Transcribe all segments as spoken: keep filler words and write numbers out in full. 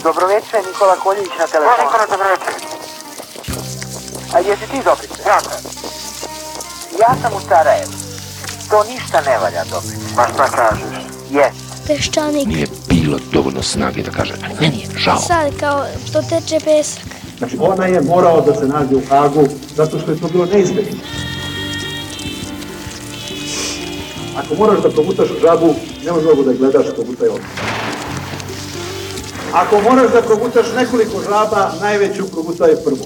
Dobroveče, Nikola Koljević na telefonu. Ko Nikola, dobroveče? A jesi ti Dobrice? Ja sam. Ja sam u Sarajevu. To ništa ne valja, Dobrice. Ma šta kažeš? Jes. Peščanik. Nije bilo dovoljno snage da kaže, meni je žao. Sad kao što teče pesak. Znači, ona je morao da se nađe u Hagu zato što je to bilo neizbježno. Ako moraš da progutaš žabu, ne možeš mogu da gledaš progutaj ovdje. Ako moraš da progutaš nekoliko žaba, najveću progutaj prvu.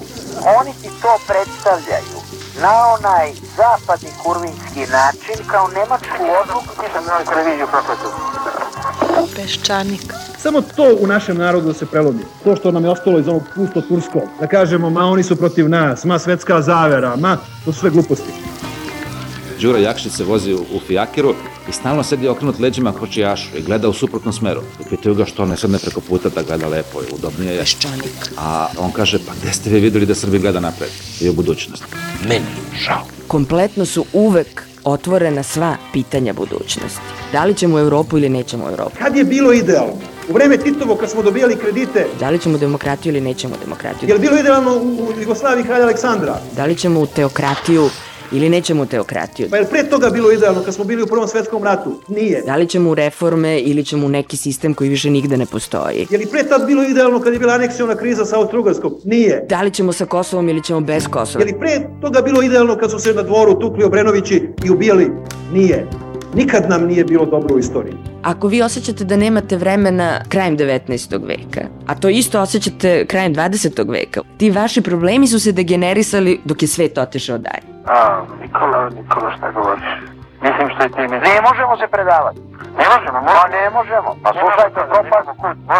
Oni ti to predstavljaju na onaj zapadni kurvinski način kao nemačku odluku. Nisam na televiziju prokletu. Peščanik. Samo to u našem narodu da se prelomi. To što nam je ostalo iz onog pusto turskog. Da kažemo, ma oni su protiv nas, ma svetska zavera, ma to su sve gluposti. Đura Jakšić se vozi u, u fijakiru i stalno sedi okrenut leđima kočijašu i gleda u suprotnom smeru. I pitaju ga što ne sedne preko puta da gleda lepo i udobnije je. Peščanik. A on kaže, pa gde ste vi videli da Srbi gleda napred i u budućnost? Meni žao. Kompletno su uvek otvorena sva pitanja budućnosti. Da li ćemo u Evropu ili nećemo u Evropu? Kad je bilo idealno? U vreme Titovo kad smo dobijali kredite. Da li ćemo demokratiju ili nećemo demokratiju? Je li bilo idealno u, u Jugoslaviji kralja Aleksandra? Da li ćemo u teokratiju ili nećemo u teokratiju? Pa je li pre toga bilo idealno kad smo bili u Prvom svetskom ratu? Nije. Da li ćemo u reforme ili ćemo u neki sistem koji više nigde ne postoji? Je li pre tad bilo idealno kad je bila aneksiona kriza sa Austro-Ugarskom? Nije. Da li ćemo sa Kosovom ili ćemo bez Kosova? Je li pre toga bilo idealno kad su se na dvoru tukli Obrenovići i ubijali? Nije. Nikad nam nije bilo dobro u istoriji. Ako vi osjećate da nemate vremena krajem devetnaestog veka, a to isto osjećate krajem dvadesetog veka, ti vaši problemi su se degenerisali dok je svet otišao dalje. A, Nikola, Nikola, šta govoriš? Mislim što je ti mi... Ne možemo se predavati. Ne možemo, Pa moramo. ne možemo. Pa slušajte, propast,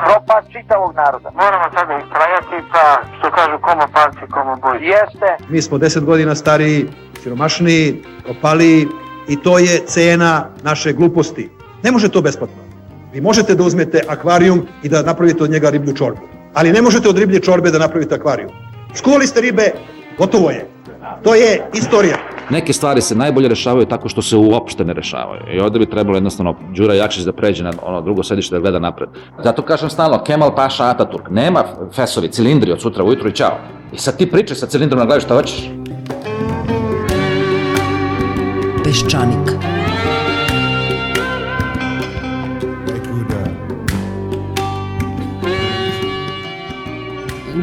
propast čitavog naroda. Moramo sada istrajati, pa što kažu, komo palci, komo boj. Jeste. Mi smo deset godina stariji, siromašniji, propaliji i to je cena naše gluposti. Ne može to besplatno. Vi možete da uzmete akvarijum i da napravite od njega riblju čorbu. Ali ne možete od riblje čorbe da napravite akvarijum. Skuvali ste ribe, gotovo je. To je istorija. Neke stvari se najbolje rešavaju tako što se uopšte ne rešavaju. I ovde bi trebalo jednostavno Đura Jakšić da pređe na ono drugo sedište da gleda napred. Zato kažem stalno, Kemal Paša Ataturk, nema fesovi, cilindri od sutra ujutru i čao. I sad ti pričaj sa cilindrom na glavi šta hoćeš. Peščanik.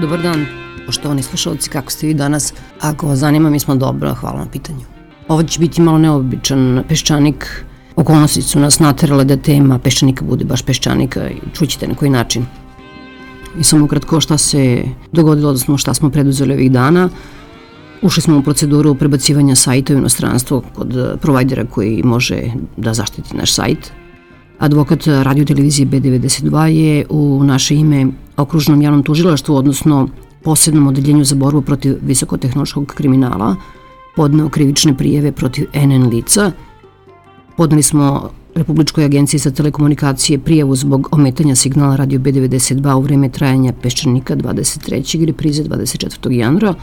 Dobar dan, poštovani slušalci, kako ste vi danas? Ako vas zanima, mi smo dobro, hvala na pitanju. Ovo će biti malo neobičan Peščanik. Okolnosti su nas naterale da tema Peščanika bude baš Peščanika i čućete na koji način. I samo kratko šta se dogodilo, odnosno šta smo preduzeli ovih dana. Ušli smo u proceduru prebacivanja sajta u inostranstvo kod provajdera koji može da zaštiti naš sajt. Advokat radio televizije B devedeset dva je u naše ime Okružnom javnom tužilaštvu, odnosno posebnom odeljenju za borbu protiv visokotehnološkog kriminala, podneo krivične prijeve protiv N N lica. Podneli smo Republičkoj agenciji za telekomunikacije prijavu zbog ometanja signala radio B devedeset dva u vreme trajanja Peščanika dvadeset trećeg i reprize dvadeset četvrtog januara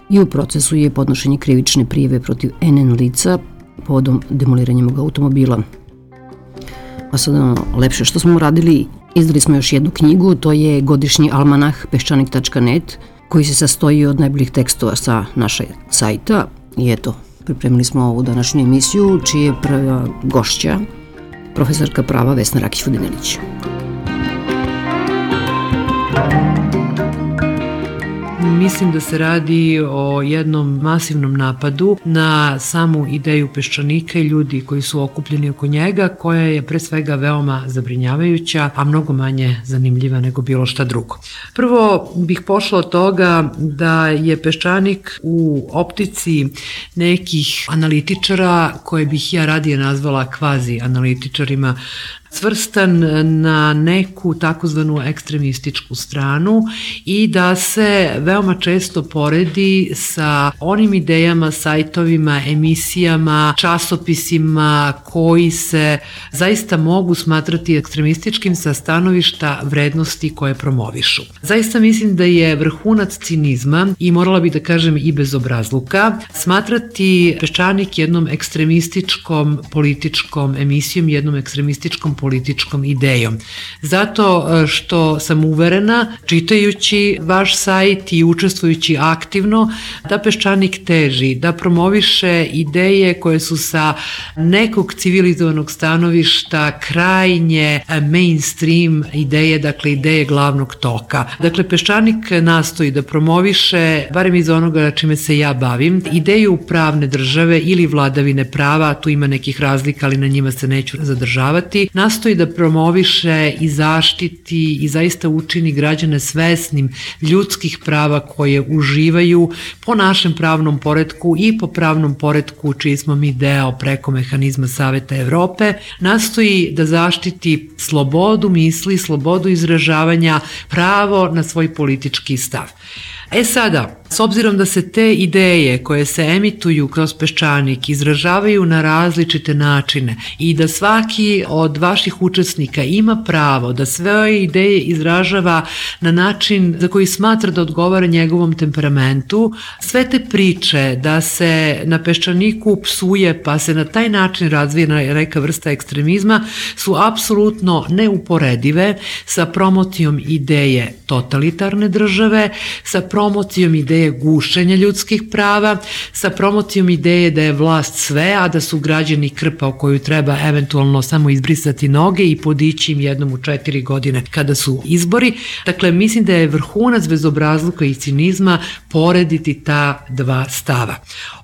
i u procesu je podnošenje krivične prijeve protiv N N lica povodom demoliranja mog automobila. A sad ono lepše što smo uradili, izdali smo još jednu knjigu, to je godišnji almanah peščanik tačka net, koji se sastoji od najboljih tekstova sa našeg sajta. I eto, pripremili smo ovu današnju emisiju, čija je prva gošća, profesorka prava Vesna Rakić-Vodinelić. Mislim da se radi o jednom masivnom napadu na samu ideju Peščanika i ljudi koji su okupljeni oko njega, koja je pre svega veoma zabrinjavajuća, a mnogo manje zanimljiva nego bilo šta drugo. Prvo bih pošla od toga da je Peščanik u optici nekih analitičara, koje bih ja radije nazvala kvazi analitičarima, svrstan na neku takozvanu ekstremističku stranu i da se veoma često poredi sa onim idejama, sajtovima, emisijama, časopisima koji se zaista mogu smatrati ekstremističkim sa stanovišta vrednosti koje promovišu. Zaista mislim da je vrhunac cinizma i morala bih da kažem i bezobrazluka smatrati Peščanik jednom ekstremističkom političkom emisijom, jednom ekstremističkom političkom idejom. Zato što sam uverena, čitajući vaš sajt i učestvujući aktivno, da Peščanik teži, da promoviše ideje koje su sa nekog civilizovanog stanovišta krajnje mainstream ideje, dakle ideje glavnog toka. Dakle, Peščanik nastoji da promoviše, barem iz onoga čime se ja bavim, ideju pravne države ili vladavine prava, tu ima nekih razlika, ali na njima se neću zadržavati, nastoji da promoviše i zaštiti i zaista učini građane svesnim ljudskih prava koje uživaju po našem pravnom poretku i po pravnom poretku čiji smo mi deo preko mehanizma Saveta Evrope, nastoji da zaštiti slobodu misli, slobodu izražavanja, pravo na svoj politički stav. E sada, s obzirom da se te ideje koje se emituju kroz Peščanik izražavaju na različite načine i da svaki od vaših učesnika ima pravo da sve ideje izražava na način za koji smatra da odgovara njegovom temperamentu, sve te priče da se na Peščaniku psuje pa se na taj način razvija neka vrsta ekstremizma su apsolutno neuporedive sa promocijom ideje totalitarne države, sa promocijom ideje gušenja ljudskih prava, sa promocijom ideje da je vlast sve, a da su građani krpa o koju treba eventualno samo izbrisati noge i podići im jednom u četiri godine kada su izbori. Dakle, mislim da je vrhunac bezobrazluka i cinizma porediti ta dva stava.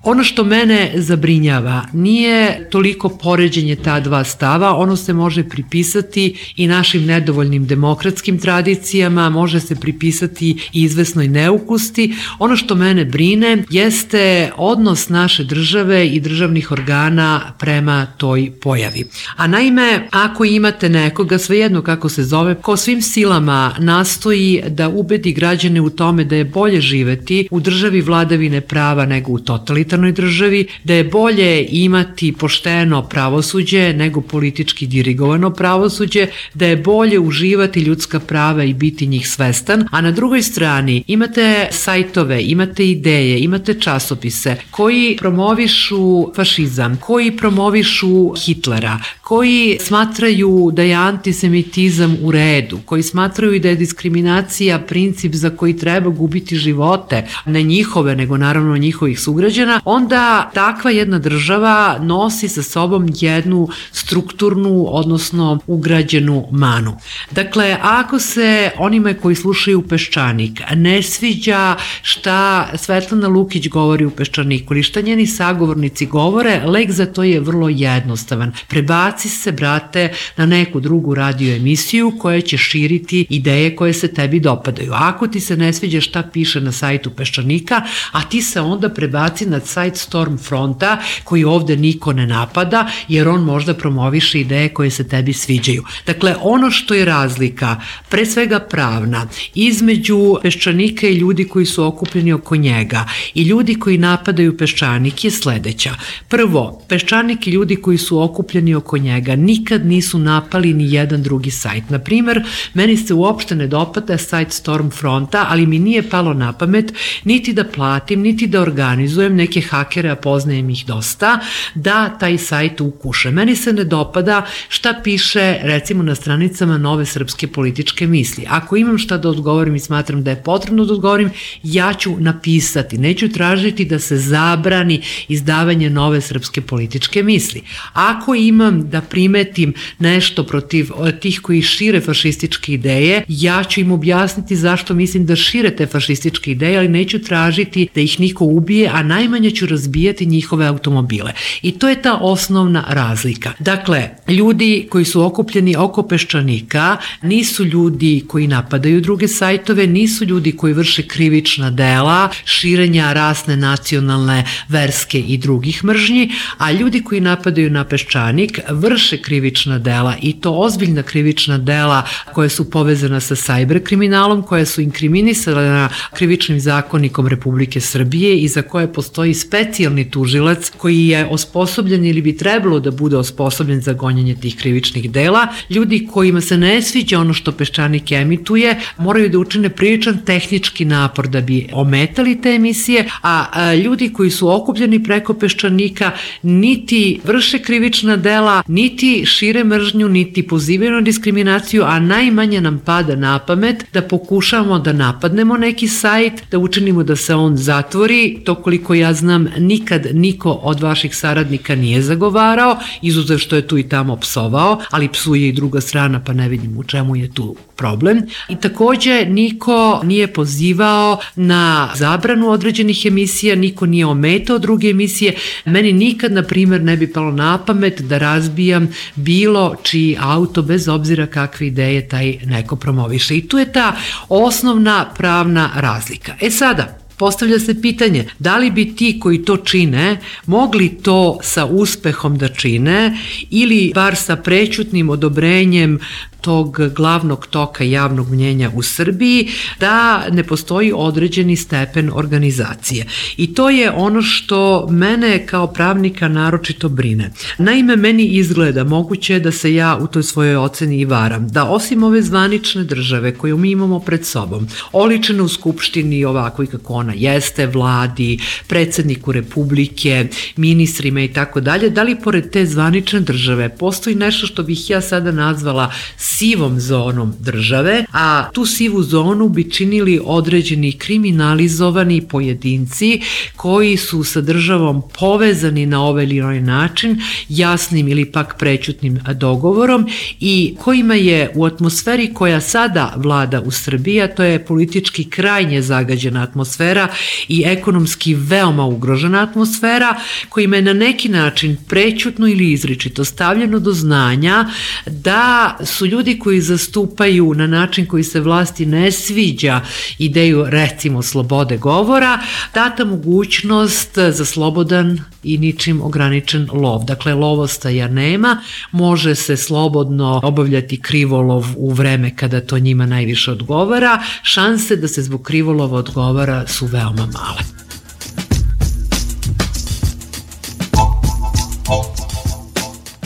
Ono što mene zabrinjava nije toliko poređenje ta dva stava, ono se može pripisati i našim nedovoljnim demokratskim tradicijama, može se pripisati i izvesnoj neukusti. Ono što mene brine jeste odnos naše države i državnih organa prema toj pojavi. A naime, ako imate nekoga, svejedno kako se zove, ko svim silama nastoji da ubedi građane u tome da je bolje živeti u državi vladavine prava nego u totalitarnoj državi, da je bolje imati pošteno pravosuđe nego politički dirigovano pravosuđe, da je bolje uživati ljudska prava i biti njih svestan, a na drugoj strani imate sajtove, imate ideje, imate časopise koji promovišu fašizam, koji promovišu Hitlera, koji smatraju da je antisemitizam u redu, koji smatraju da je diskriminacija princip za koji treba gubiti živote, ne njihove, nego naravno njihovih sugrađana, onda takva jedna država nosi sa sobom jednu strukturnu, odnosno ugrađenu manu. Dakle, ako se onima koji slušaju Peščanik ne sviđa šta Svetlana Lukić govori u Peščaniku ili šta njeni sagovornici govore, lek za to je vrlo jednostavan. Prebaci se, brate, na neku drugu radio emisiju koja će širiti ideje koje se tebi dopadaju. Ako ti se ne sviđa šta piše na sajtu Peščanika, a ti se onda prebaci na sajt Stormfronta koji ovde niko ne napada jer on možda promoviše ideje koje se tebi sviđaju. Dakle, ono što je razlika, pre svega pravna, između Peščanika i ljudi koji su okupljeni oko njega i ljudi koji napadaju Peščanik je sledeća. Prvo, Peščanik i ljudi koji su okupljeni oko njega nikad nisu napali ni jedan drugi sajt. Na primer, meni se uopšte ne dopada sajt Stormfronta, ali mi nije palo na pamet niti da platim, niti da organizujem neke hakere, a poznajem ih dosta, da taj sajt ukuše. Meni se ne dopada šta piše recimo na stranicama Nove srpske političke misli. Ako imam šta da odgovorim i smatram da je potrebno da odgovorim, ja ću napisati. Neću tražiti da se zabrani izdavanje Nove srpske političke misli. Ako imam da primetim nešto protiv tih koji šire fašističke ideje, ja ću im objasniti zašto mislim da šire te fašističke ideje, ali neću tražiti da ih niko ubije, a najmanje ću razbijati njihove automobile. I to je ta osnovna razlika. Dakle, ljudi koji su okupljeni oko Peščanika nisu ljudi koji napadaju druge sajtove, nisu ljudi koji vrše krivična dela, širenja rasne, nacionalne, verske i drugih mržnji, a ljudi koji napadaju na Peščanik vrše krivična dela i to ozbiljna krivična dela koja su povezana sa sajber kriminalom, koja su inkriminisana krivičnim zakonikom Republike Srbije i za koje postoji specijalni tužilac koji je osposobljen ili bi trebalo da bude osposobljen za gonjenje tih krivičnih dela. Ljudi kojima se ne sviđa ono što Peščanik emituje moraju da učine priličan tehnički napor da bi ometali te emisije, a, a ljudi koji su okupljeni preko Peščanika niti vrše krivična dela, niti šire mržnju, niti pozivaju na diskriminaciju, a najmanje nam pada na pamet da pokušamo da napadnemo neki sajt, da učinimo da se on zatvori. To koliko ja znam nikad niko od vaših saradnika nije zagovarao, izuzev što je tu i tamo psovao, ali psuje i druga strana, pa ne vidim u čemu je tu problem. I takođe niko nije pozivao na zabranu određenih emisija, niko nije ometao druge emisije. Meni nikad, na primjer, ne bi palo na pamet da razbijam bilo čiji auto, bez obzira kakve ideje taj neko promoviše. I tu je ta osnovna pravna razlika. E sada, postavlja se pitanje, da li bi ti koji to čine mogli to sa uspehom da čine ili bar sa prećutnim odobrenjem tog glavnog toka javnog mnjenja u Srbiji, da ne postoji određeni stepen organizacije. I to je ono što mene kao pravnika naročito brine. Naime, meni izgleda, moguće je da se ja u toj svojoj oceni i varam, da osim ove zvanične države koju mi imamo pred sobom, oličene u Skupštini ovako i kako ona jeste, vladi, predsedniku Republike, ministrima i tako dalje, da li pored te zvanične države postoji nešto što bih ja sada nazvala sivom zonom države, a tu sivu zonu bi činili određeni kriminalizovani pojedinci koji su sa državom povezani na ovaj ili onaj način, jasnim ili pak prećutnim dogovorom i kojima je u atmosferi koja sada vlada u Srbiji, a to je politički krajnje zagađena atmosfera i ekonomski veoma ugrožena atmosfera, kojima je na neki način prećutno ili izričito stavljeno do znanja da su ljudi koji zastupaju na način koji se vlasti ne sviđa ideju, recimo, slobode govora, data mogućnost za slobodan i ničim ograničen lov. Dakle, lovostaja nema, može se slobodno obavljati krivolov u vreme kada to njima najviše odgovara, šanse da se zbog krivolova odgovara su veoma male.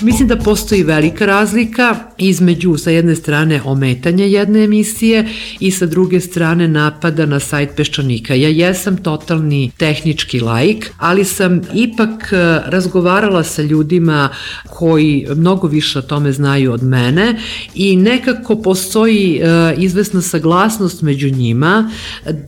Mislim da postoji velika razlika između sa jedne strane ometanja jedne emisije i sa druge strane napada na sajt Peščanika. Ja jesam totalni tehnički laik, ali sam ipak razgovarala sa ljudima koji mnogo više o tome znaju od mene i nekako postoji izvesna saglasnost među njima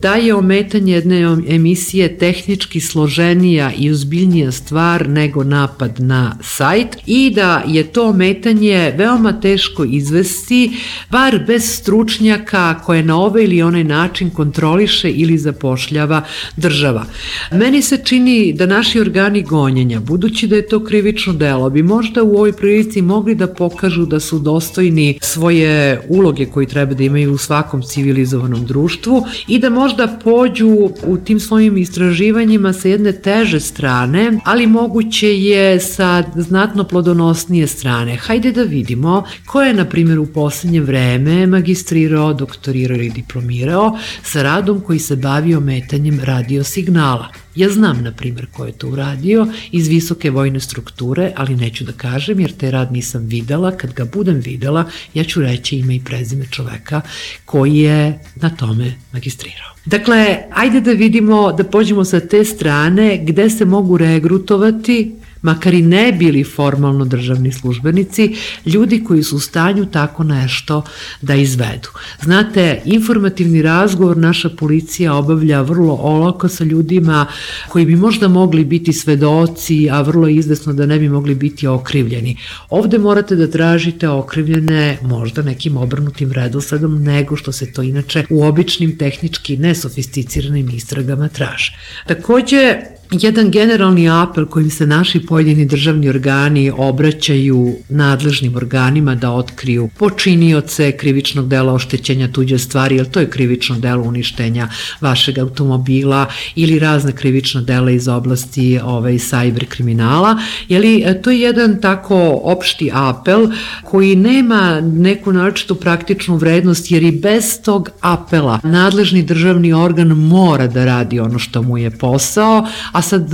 da je ometanje jedne emisije tehnički složenija i ozbiljnija stvar nego napad na sajt i da da je to ometanje veoma teško izvesti, bar bez stručnjaka koje na ovaj ili onaj način kontroliše ili zapošljava država. Meni se čini da naši organi gonjenja, budući da je to krivično delo, bi možda u ovoj prilici mogli da pokažu da su dostojni svoje uloge koje treba da imaju u svakom civilizovanom društvu i da možda pođu u tim svojim istraživanjima sa jedne teže strane, ali moguće je sa znatno plodonosnije strane. Hajde da vidimo ko je, na primjer, u poslednje vreme magistrirao, doktorirao ili diplomirao sa radom koji se bavi ometanjem radiosignala. Ja znam, na primjer, ko je to uradio iz visoke vojne strukture, ali neću da kažem jer te rad nisam videla. Kad ga budem videla, ja ću reći ime i prezime čoveka koji je na tome magistrirao. Dakle, ajde da vidimo, da pođemo sa te strane gde se mogu regrutovati, makar i ne bili formalno državni službenici, ljudi koji su u stanju tako nešto da izvedu. Znate, informativni razgovor naša policija obavlja vrlo olako sa ljudima koji bi možda mogli biti svedoci, a vrlo izvesno da ne bi mogli biti okrivljeni. Ovde morate da tražite okrivljene možda nekim obrnutim redosledom nego što se to inače u običnim tehnički nesofisticiranim istragama traže. Takođe, jedan generalni apel kojim se naši pojedini državni organi obraćaju nadležnim organima da otkriju počinioce krivičnog dela oštećenja tuđe stvari, jer to je krivično delo uništenja vašeg automobila ili razne krivična dela iz oblasti ovaj, sajber kriminala. Jeli, to je jedan tako opšti apel koji nema neku naročitu praktičnu vrednost, jer i bez tog apela nadležni državni organ mora da radi ono što mu je posao, a sad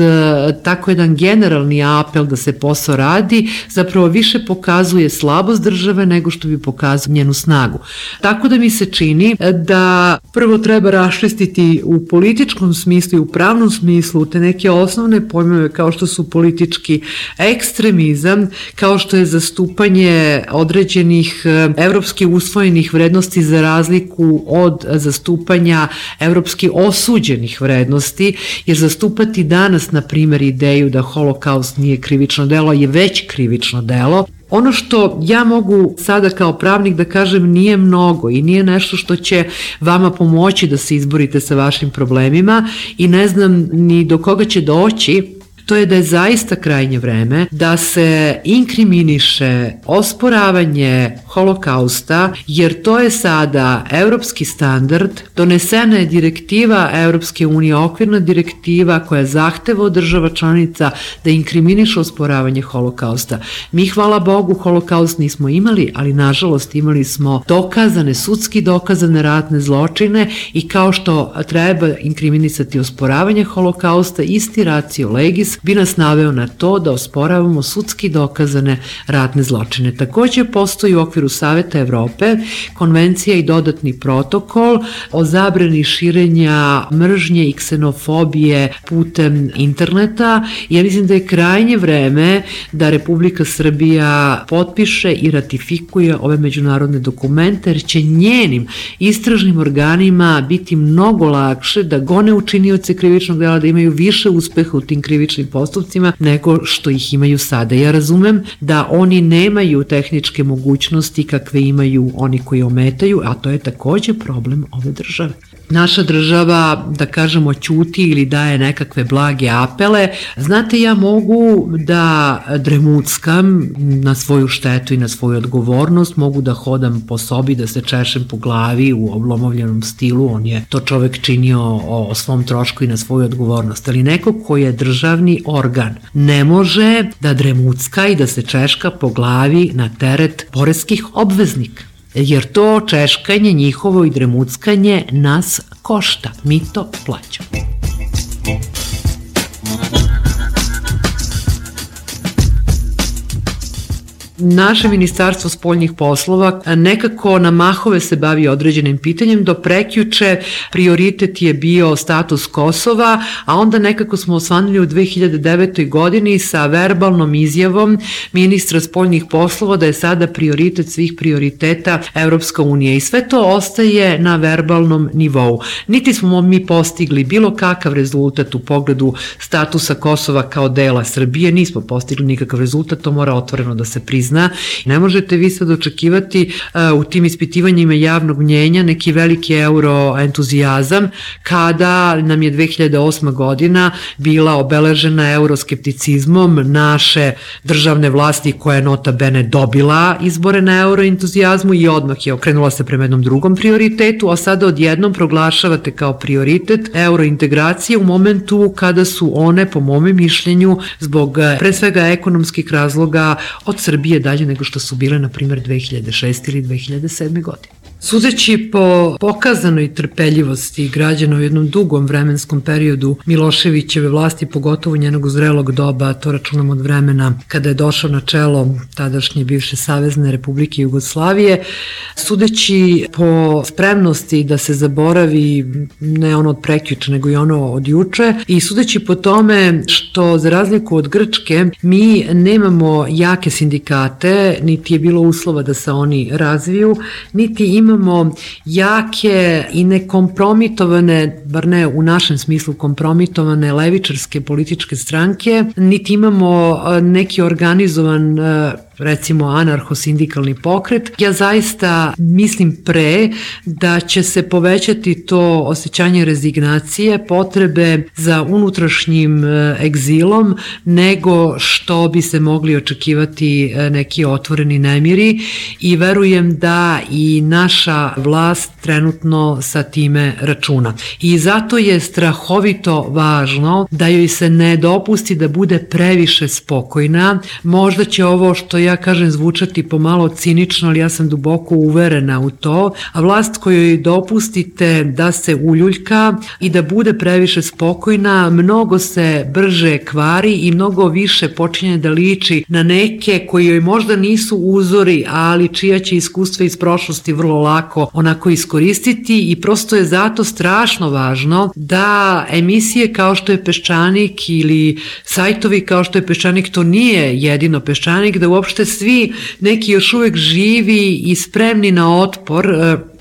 tako jedan generalni apel da se posao radi zapravo više pokazuje slabost države nego što bi pokazao njenu snagu. Tako da mi se čini da prvo treba raščistiti u političkom smislu i u pravnom smislu te neke osnovne pojmove kao što su politički ekstremizam, kao što je zastupanje određenih evropski usvojenih vrednosti za razliku od zastupanja evropski osuđenih vrednosti, jer zastupati danas, na primjer, ideju da holokaust nije krivično delo je već krivično delo. Ono što ja mogu sada kao pravnik da kažem nije mnogo i nije nešto što će vama pomoći da se izborite sa vašim problemima i ne znam ni do koga će doći, to je da je zaista krajnje vreme da se inkriminiše osporavanje holokausta, jer to je sada evropski standard, donesena je direktiva Evropske unije, okvirna direktiva koja zahteva od država članica da inkriminiše osporavanje holokausta. Mi, hvala Bogu, holokaust nismo imali, ali nažalost imali smo dokazane, sudski dokazane ratne zločine i kao što treba inkriminisati osporavanje holokausta, isti ratio legis bi nas naveo na to da osporavamo sudski dokazane ratne zločine. Takođe postoji u okviru Saveta Evrope konvencija i dodatni protokol o zabrani širenja mržnje i ksenofobije putem interneta. Ja mislim da je krajnje vreme da Republika Srbija potpiše i ratifikuje ove međunarodne dokumente, jer će njenim istražnim organima biti mnogo lakše da gone učinioce krivičnog dela, da imaju više uspeha u tim krivičnim postupcima nego što ih imaju sada. Ja razumem da oni nemaju tehničke mogućnosti kakve imaju oni koji ometaju, a to je takođe problem ove države. Naša država, da kažemo, ćuti ili daje nekakve blage apele. Znate, ja mogu da dremuckam na svoju štetu i na svoju odgovornost, mogu da hodam po sobi, da se češem po glavi u oblomovljenom stilu, on je to čovek činio o svom trošku i na svoju odgovornost, ali neko koji je državni organ ne može da dremucka i da se češka po glavi na teret poreskih obveznika. Jer to češkanje njihovo i dremuckanje nas košta, mi to plaćamo. Naše ministarstvo spoljnih poslova nekako na mahove se bavi određenim pitanjem, do prekjuče prioritet je bio status Kosova, a onda nekako smo osvanuli u dve hiljade devetoj godini sa verbalnom izjavom ministra spoljnih poslova da je sada prioritet svih prioriteta Evropska unija i sve to ostaje na verbalnom nivou. Niti smo mi postigli bilo kakav rezultat u pogledu statusa Kosova kao dela Srbije, nismo postigli nikakav rezultat, to mora otvoreno da se prizna. Ne možete vi sad očekivati uh, u tim ispitivanjima javnog mnjenja neki veliki euroentuzijazam kada nam je dve hiljade osma godina bila obeležena euroskepticizmom naše državne vlasti koja je nota bene dobila izbore na euroentuzijazmu i odmah je okrenula se prema jednom drugom prioritetu, a sada odjednom proglašavate kao prioritet eurointegracije u momentu kada su one, po mome mišljenju, zbog pre svega ekonomskih razloga od Srbije dalje nego što su bile, na primjer, dve hiljade šeste ili dve hiljade sedme godine. Sudeći po pokazanoj trpeljivosti građana u jednom dugom vremenskom periodu Miloševićeve vlasti, pogotovo njenog zrelog doba, to računam od vremena kada je došao na čelo tadašnje bivše Savezne Republike Jugoslavije, sudeći po spremnosti da se zaboravi ne ono od prekjuče, nego i ono od juče, i sudeći po tome što, za razliku od Grčke, mi nemamo jake sindikate, niti je bilo uslova da se oni razviju, niti ima imamo jake i nekompromitovane, bar ne u našem smislu kompromitovane levičarske političke stranke, niti imamo neki organizovan, recimo, anarcho-sindikalni pokret. Ja zaista mislim pre da će se povećati to osjećanje rezignacije, potrebe za unutrašnjim egzilom, nego što bi se mogli očekivati neki otvoreni nemiri, i verujem da i naša vlast trenutno sa time računa. I zato je strahovito važno da joj se ne dopusti da bude previše spokojna. Možda će ovo što ja ja kažem zvučati pomalo cinično, ali ja sam duboko uverena u to, a vlast kojoj dopustite da se uljuljka i da bude previše spokojna, mnogo se brže kvari i mnogo više počinje da liči na neke koji joj možda nisu uzori, ali čija će iskustva iz prošlosti vrlo lako onako iskoristiti i prosto je zato strašno važno da emisije kao što je Peščanik ili sajtovi kao što je Peščanik, to nije jedino Peščanik, da uopšte svi neki još uvek živi i spremni na otpor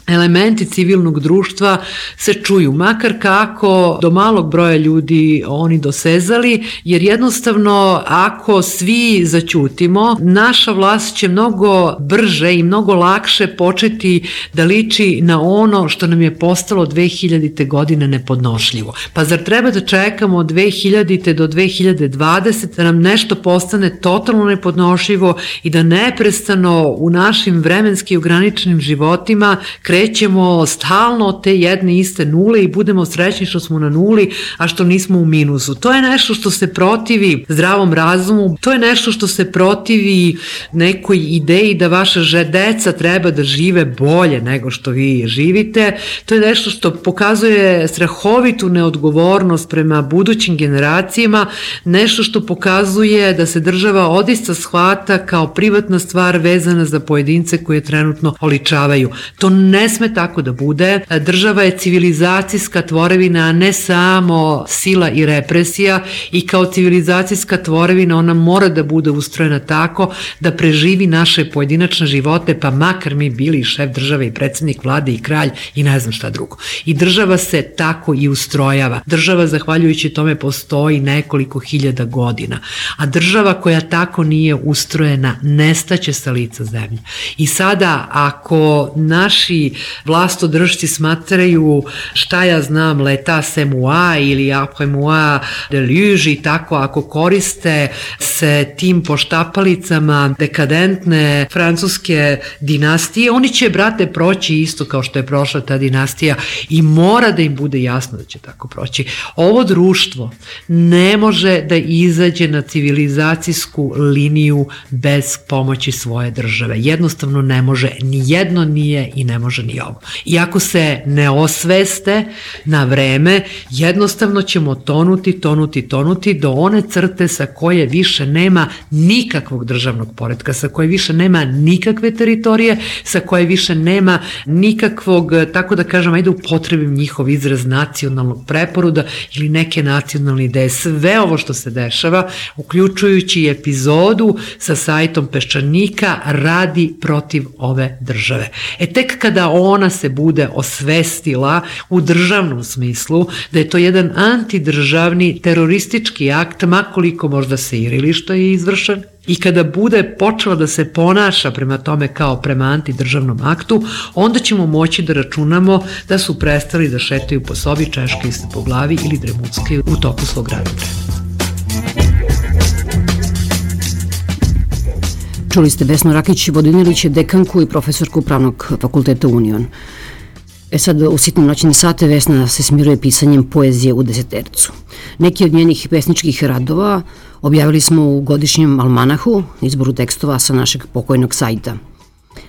elementi civilnog društva se čuju, makar kako do malog broja ljudi oni dosezali, jer jednostavno ako svi zaćutimo, naša vlast će mnogo brže i mnogo lakše početi da liči na ono što nam je postalo dve hiljadite godine nepodnošljivo. Pa zar treba da čekamo od dve hiljadite do dve hiljade dvadesete da nam nešto postane totalno nepodnošljivo i da neprestano u našim vremenski ograničenim životima krećemo stalno od te jedne iste nule i budemo srećni što smo na nuli, a što nismo u minusu. To je nešto što se protivi zdravom razumu, to je nešto što se protivi nekoj ideji da vaša deca treba da žive bolje nego što vi živite. To je nešto što pokazuje strahovitu neodgovornost prema budućim generacijama, nešto što pokazuje da se država odista shvata kao privatna stvar vezana za pojedince koje trenutno oličavaju. To ne sme tako da bude. Država je civilizacijska tvorevina, a ne samo sila i represija, i kao civilizacijska tvorevina ona mora da bude ustrojena tako da preživi naše pojedinačne živote, pa makar mi bili šef države i predsednik vlade i kralj i ne znam šta drugo. I država se tako i ustrojava. Država, zahvaljujući tome, postoji nekoliko hiljada godina, a država koja tako nije ustrojena nestaće sa lica zemlje. I sada, ako naši vlastodržci smatraju, šta ja znam, l'etat c'est moi ili après moi deluge i tako, ako koriste se tim poštapalicama dekadentne francuske dinastije, oni će, brate, proći isto kao što je prošla ta dinastija i mora da im bude jasno da će tako proći. Ovo društvo ne može da izađe na civilizacijsku liniju bez pomoći svoje države. Jednostavno ne može, ni jedno nije i ne može ni ovo. I ako se ne osveste na vreme, jednostavno ćemo tonuti, tonuti, tonuti do one crte sa koje više nema nikakvog državnog poretka, sa koje više nema nikakve teritorije, sa koje više nema nikakvog, tako da kažem, ajde upotrebim njihov izraz, nacionalnog preporoda ili neke nacionalne ideje. Sve ovo što se dešava, uključujući epizodu sa sajtom Peščanika, radi protiv ove države. E tek kada ona se bude osvestila u državnom smislu da je to jedan antidržavni teroristički akt, makoliko možda se irili što je izvršen, i kada bude počela da se ponaša prema tome kao prema antidržavnom aktu, onda ćemo moći da računamo da su prestali da šetaju po sobi, češkaju se po glavi ili dremuckaju u toku svog radnog vremena. Čuli ste Vesnu Rakić Vodinilić, dekanku i profesorku Pravnog fakulteta Union. E sad, u sitnim noćnim sate Vesna se smiruje pisanjem poezije u desetercu. Neki od njenih pesničkih radova objavili smo u godišnjem almanahu, izboru tekstova sa našeg pokojnog sajta.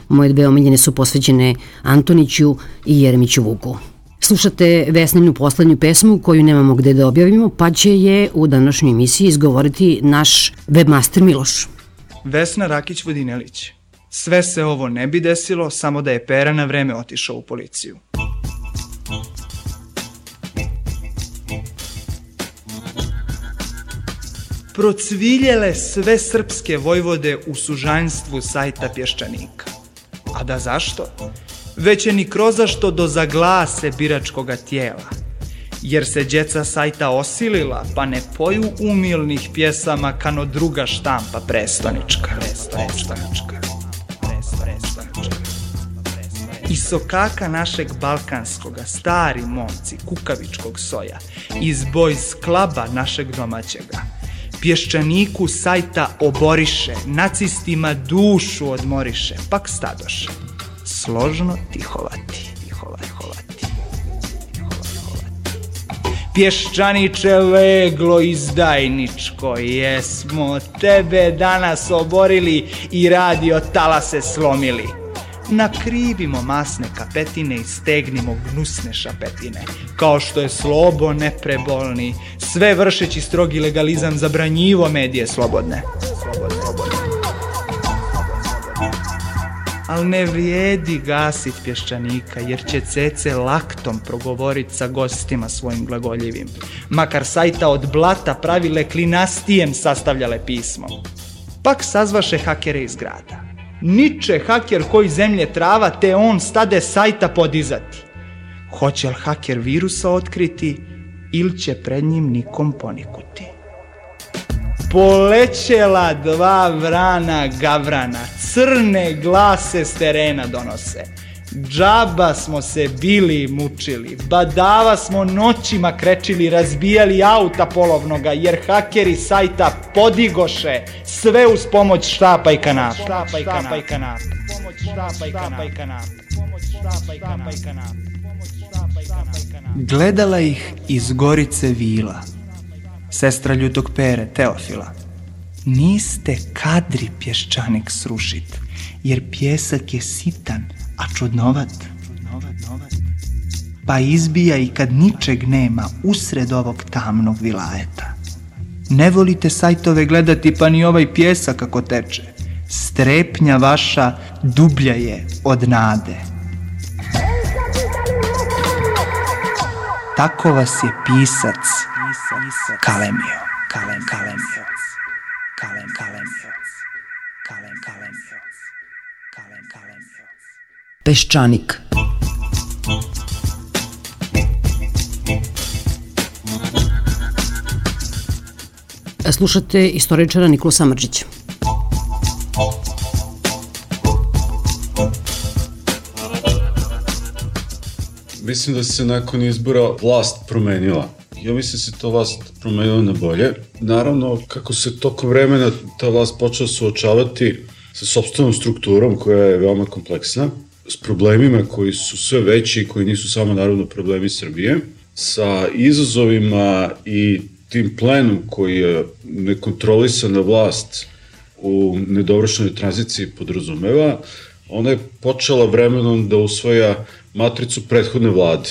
Moje dve omiljene su posvećene Antoniću i Jeremiću Vuku. Slušate Vesninu poslednju pesmu koju nemamo gde da objavimo, pa će je u današnjoj emisiji izgovoriti naš webmaster Miloš. Vesna Rakić Vodinelić. Sve se ovo ne bi desilo samo da je Pera na vreme otišao u policiju. Procviljele sve srpske vojvode u sužanjstvu sajta Pješčanika. A da zašto? Već je ni krozašto do zaglase biračkoga tijela. Jer se djeca sajta osilila, pa ne poju umilnih pjesama kano druga štampa prestonička. Prestonička. I sokaka našeg balkanskoga, stari momci kukavičkog soja, iz boys klaba našeg domaćega, Pješčaniku sajta oboriše, nacistima dušu odmoriše, pak stadoše, složno tihovati, tihovati, tihovati. Pješčaniče leglo izdajničko, jesmo tebe danas oborili i radio talase slomili. Nakrivimo masne kapetine i stegnimo gnusne šapetine, kao što je Slobo neprebolni, sve vršeći strogi legalizam zabranjivo medije slobodne. Slobodne, slobodne. Al ne vrijedi gasit Pješčanika, jer će Cece laktom progovorit sa gostima svojim glagoljivim, makar sajta od blata pravile klinastijem sastavljale pismo. Pak sazvaše hakere iz grada. Niče haker koji zemlje trava, te on stade sajta podizati. Hoće li haker virusa otkriti, ili će pred njim nikom ponikuti? Polećela dva vrana gavrana, crne glase s terena donose. Džaba smo se bili mučili, badava smo noćima krečili, razbijali auta polovnoga, jer hakeri sajta podigoše sve uz pomoć štapa i kanapa. Štapa i kanapa. Pomoć štapa i kanapa. Pomoć štapa i kanapa. Gledala ih iz Gorice Vila, sestra ljutog Pere, Teofila. Niste kadri Pješčanik srušit, jer pjesak je sitan, a čudnovat. Pa izbija i kad ničeg nema usred ovog tamnog vilajeta. Ne volite sajtove gledati, pa ni ovaj pjesak kako teče. Strepnja vaša dublja je od nade. Tako vas je pisac kalemio. Kalem, kalemio. Kalem, kalemio. Kalem, kalemio. Kalem, kalemio. Peščanik. Slušate istoričara Nikolu Samardžića. Mislim da se nakon izbora vlast promenila. Ja mislim da se ta vlast promenila na bolje. Naravno, kako se tokom vremena ta vlast počela suočavati sa sopstvenom strukturom koja je veoma kompleksna, s problemima koji su sve veći i koji nisu samo naravno problemi Srbije, sa izazovima i tim plenom koji je nekontrolisana vlast u nedovršenoj tranziciji podrazumeva, ona je počela vremenom da usvaja matricu prethodne vlade.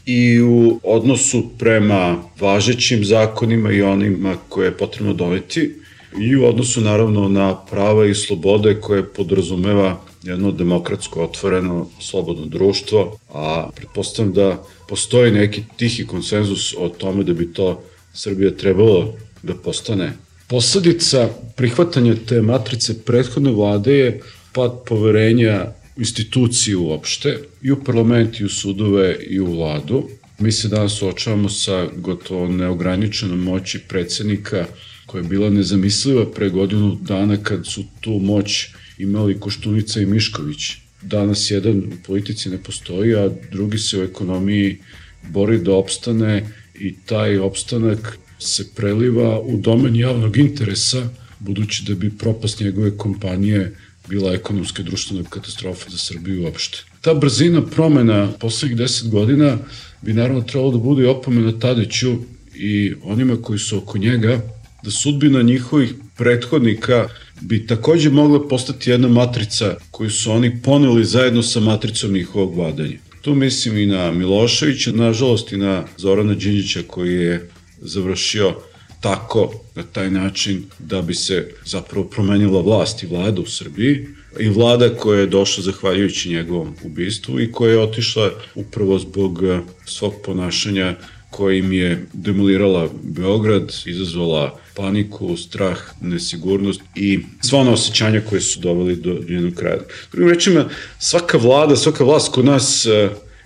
I u odnosu prema važećim zakonima i onima koje je potrebno doneti, i u odnosu naravno na prava i slobode koje podrazumeva jedno demokratsko, otvoreno, slobodno društvo, a pretpostavljam da postoji neki tihi konsenzus o tome da bi to Srbija trebalo da postane. Posledica prihvatanja te matrice prethodne vlade je pad poverenja u instituciji uopšte, i u parlament, i u sudove, i u vladu. Mi se danas suočavamo sa gotovo neograničenom moći predsjednika koja je bila nezamisliva pre godinu dana kad su tu moć imali Koštunica i Mišković. Danas jedan u politici ne postoji, a drugi se u ekonomiji bori da opstane i taj opstanak se preliva u domen javnog interesa, budući da bi propast njegove kompanije bila ekonomska i društvena katastrofa za Srbiju uopšte. Ta brzina promena poslednjih deset godina bi naravno trebalo da bude i opomena Tadiću i onima koji su oko njega, da sudbina njihovih prethodnika bi takođe mogla postati jedna matrica koju su oni poneli zajedno sa matricom njihovog vladanja. Tu mislim i na Miloševića, nažalost i na Zorana Đinđića koji je završio tako, na taj način, da bi se zapravo promenila vlast i vlada u Srbiji, i vlada koja je došla zahvaljujući njegovom ubistvu i koja je otišla upravo zbog svog ponašanja kojim je demolirala Beograd, izazvala paniku, strah, nesigurnost i sva ona osjećanja koje su doveli do njenog kraja. Drugim rečima, svaka vlada, svaka vlast kod nas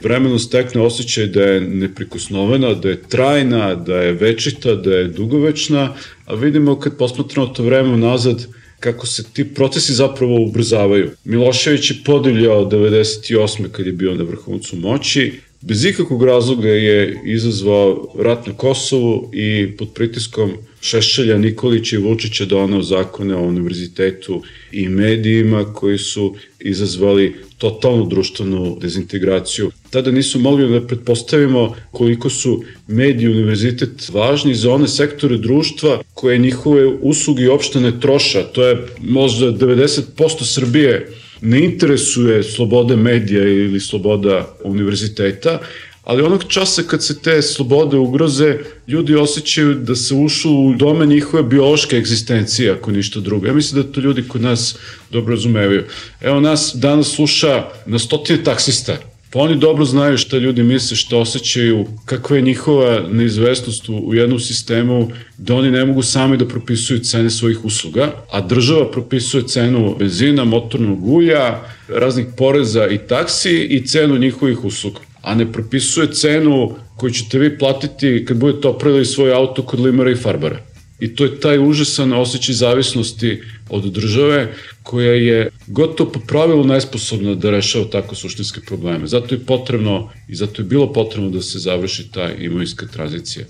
vremenom stekne osjećaj da je neprikosnovena, da je trajna, da je večita, da je dugovečna, a vidimo kad posmatramo to vreme nazad kako se ti procesi zapravo ubrzavaju. Milošević je podivljao devedeset osme kad je bio na vrhuncu moći, bez ikakvog razloga je izazvao rat na Kosovu i pod pritiskom Šešelja, Nikolića i Vučića doneo zakone o univerzitetu i medijima koji su izazvali totalnu društvenu dezintegraciju. Tada nisu mogli da pretpostavimo koliko su mediji i univerzitet važni za one sektore društva koje njihove usluge uopšte ne troša. To je možda devedeset posto Srbije ne interesuje sloboda medija ili sloboda univerziteta, ali onog časa kad se te slobode ugroze, ljudi osjećaju da se ušlo u domen njihove biološke egzistencije, ako ništa drugo. Ja mislim da to ljudi kod nas dobro razumevaju. Evo, nas danas sluša na stotine taksista, pa oni dobro znaju šta ljudi misle, šta osjećaju, kakva je njihova neizvestnost u jednom sistemu, da oni ne mogu sami da propisuju cene svojih usluga, a država propisuje cenu benzina, motornog ulja, raznih poreza i taksi i cenu njihovih usluga, a ne propisuje cenu koju ćete vi platiti kad budete opravili svoj auto kod limara i farbara. I to je taj užasan osjećaj zavisnosti od države koja je gotovo po pravilu nesposobna da rešava tako suštinske probleme. Zato je potrebno i zato je bilo potrebno da se završi ta imovinska tranzicija.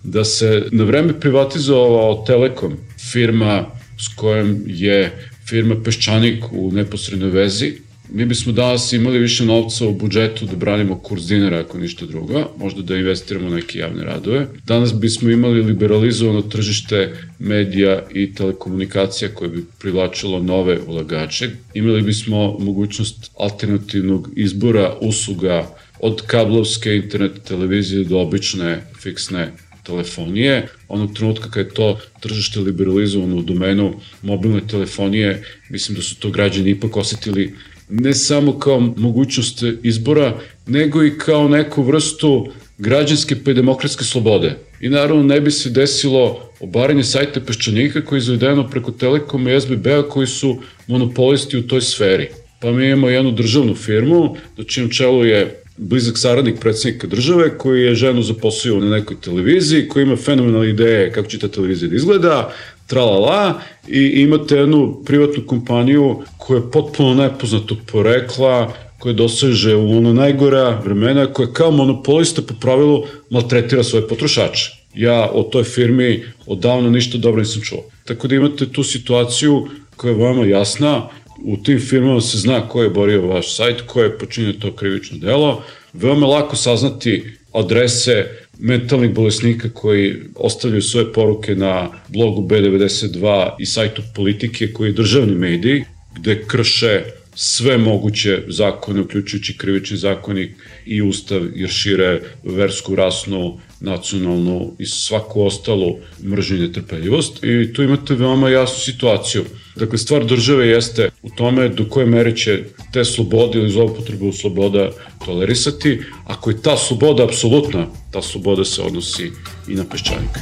Da se na vreme privatizovao Telekom, firma s kojom je firma Peščanik u neposrednoj vezi, mi bismo danas imali više novca u budžetu da branimo kurs dinara ako ništa drugo, možda da investiramo neke javne radove. Danas bismo imali liberalizovano tržište medija i telekomunikacija koje bi privlačilo nove ulagače. Imali bismo mogućnost alternativnog izbora usluga od kablovske internet televizije do obične fiksne telefonije. Onog trenutka kada je to tržište liberalizovano u domenu mobilne telefonije, mislim da su to građani ipak osetili ne samo kao mogućnost izbora, nego i kao neku vrstu građanske pa i demokratske slobode. I naravno ne bi se desilo obaranje sajta Peščanika koji je izvedeno preko Telekoma i es be be-a koji su monopolisti u toj sferi. Pa mi imamo jednu državnu firmu, do čijem čelu je blizak saradnik predsjednika države koji je ženu zaposlio na nekoj televiziji, koji ima fenomenalne ideje kako će ta televizija da izgleda, tralala, i imate jednu privatnu kompaniju koja je potpuno nepoznatog porekla, koja doseže u ono najgora vremena, koja kao monopolista po pravilu maltretira svoje potrošače. Ja o toj firmi odavno ništa dobro nisam čuo. Tako da imate tu situaciju koja je veoma jasna, u tim firmama se zna ko je borio vaš sajt, ko je počinio to krivično delo, veoma lako saznati adrese mentalnih bolesnika koji ostavljaju svoje poruke na blogu be devedeset dva i sajtu Politike, koji je državni medij, gde krše sve moguće zakone, uključujući krivični zakonik i ustav, jer šire versku, rasnu, nacionalnu i svaku ostalu mržnju i netrpeljivost. I tu imate veoma jasnu situaciju. Dakle, stvar države jeste u tome do koje mere će te slobode ili zloupotrebu sloboda tolerisati. Ako je ta sloboda apsolutna, ta sloboda se odnosi i na Peščanika.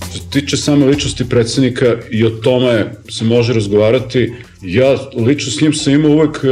Što se tiče same ličnosti predsjednika, i o tome se može razgovarati. Ja lično s njim sam imao uvek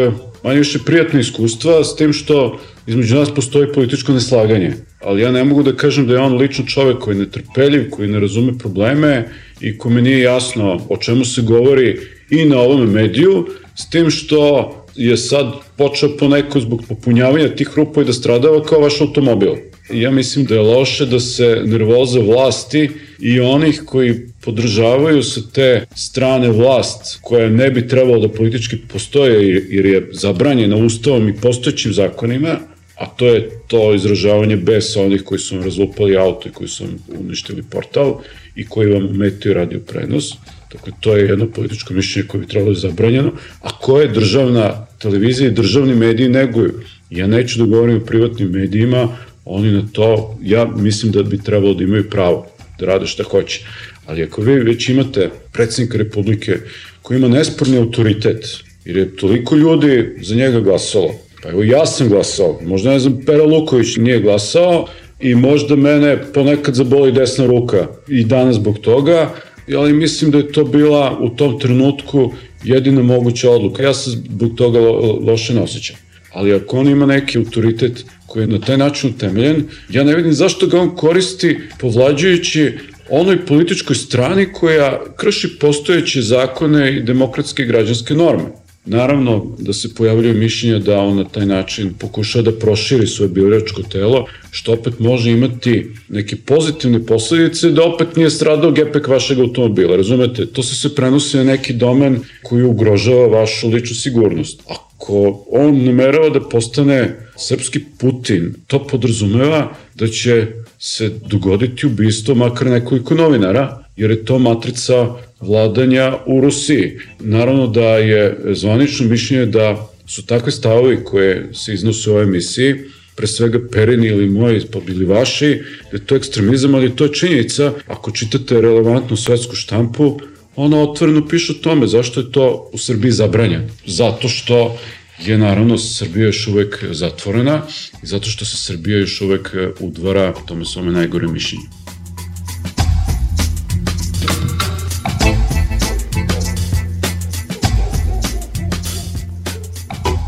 manje više prijatne iskustva, s tim što između nas postoji političko neslaganje. Ali ja ne mogu da kažem da je on lično čovek koji je netrpeljiv, koji ne razume probleme i kome nije jasno o čemu se govori i na ovom mediju, s tim što je sad počeo poneko zbog popunjavanja tih rupa i da stradava kao vaš automobil. Ja mislim da je loše da se nervoza vlasti i onih koji podržavaju sa te strane vlast, koja ne bi trebalo da politički postoje jer je zabranjena ustavom i postojećim zakonima, a to je to izražavanje besa onih koji su vam razlupali auto i koji su vam uništili portal i koji vam ometaju radio prenos. Dakle, to je jedno političko mišljenje koje bi trebalo da je zabranjeno, a koje državna televizija i državni mediji neguju. Ja neću da govorim o privatnim medijima, oni na to, ja mislim da bi trebalo da imaju pravo da rade šta hoće. Ali ako vi već imate predsjednika Republike koji ima nesporni autoritet, jer je toliko ljudi za njega glasalo, pa evo ja sam glasao, možda ne znam, Pera Luković nije glasao i možda mene ponekad zaboli desna ruka i danas zbog toga, ali mislim da je to bila u tom trenutku jedina moguća odluka. Ja se zbog toga lo, loše ne osjećam. Ali ako on ima neki autoritet koji je na taj način utemeljen, ja ne vidim zašto ga on koristi povlađujući onoj političkoj strani koja krši postojeće zakone i demokratske i građanske norme. Naravno da se pojavljaju mišljenja da on na taj način pokušava da proširi svoje biračko telo, što opet može imati neke pozitivne posledice, da opet nije stradao gepek vašeg automobila, razumete? To se se prenosi na neki domen koji ugrožava vašu ličnu sigurnost. Ako on namerava da postane srpski Putin, to podrazumeva da će se dogoditi ubistvo makar nekoliko novinara, jer je to matrica vladanja u Rusiji. Naravno da je zvanično mišljenje da su takve stavovi koje se iznose u ovoj emisiji, pre svega Perini ili moji, pa bili vaši, da je to ekstremizam, ali to je činjenica. Ako čitate relevantnu svetsku štampu, ona otvoreno piše o tome zašto je to u Srbiji zabranjeno. Zato što je naravno Srbija još uvek zatvorena i zato što se Srbija još uvek udvara tome svome najgore mišljenju.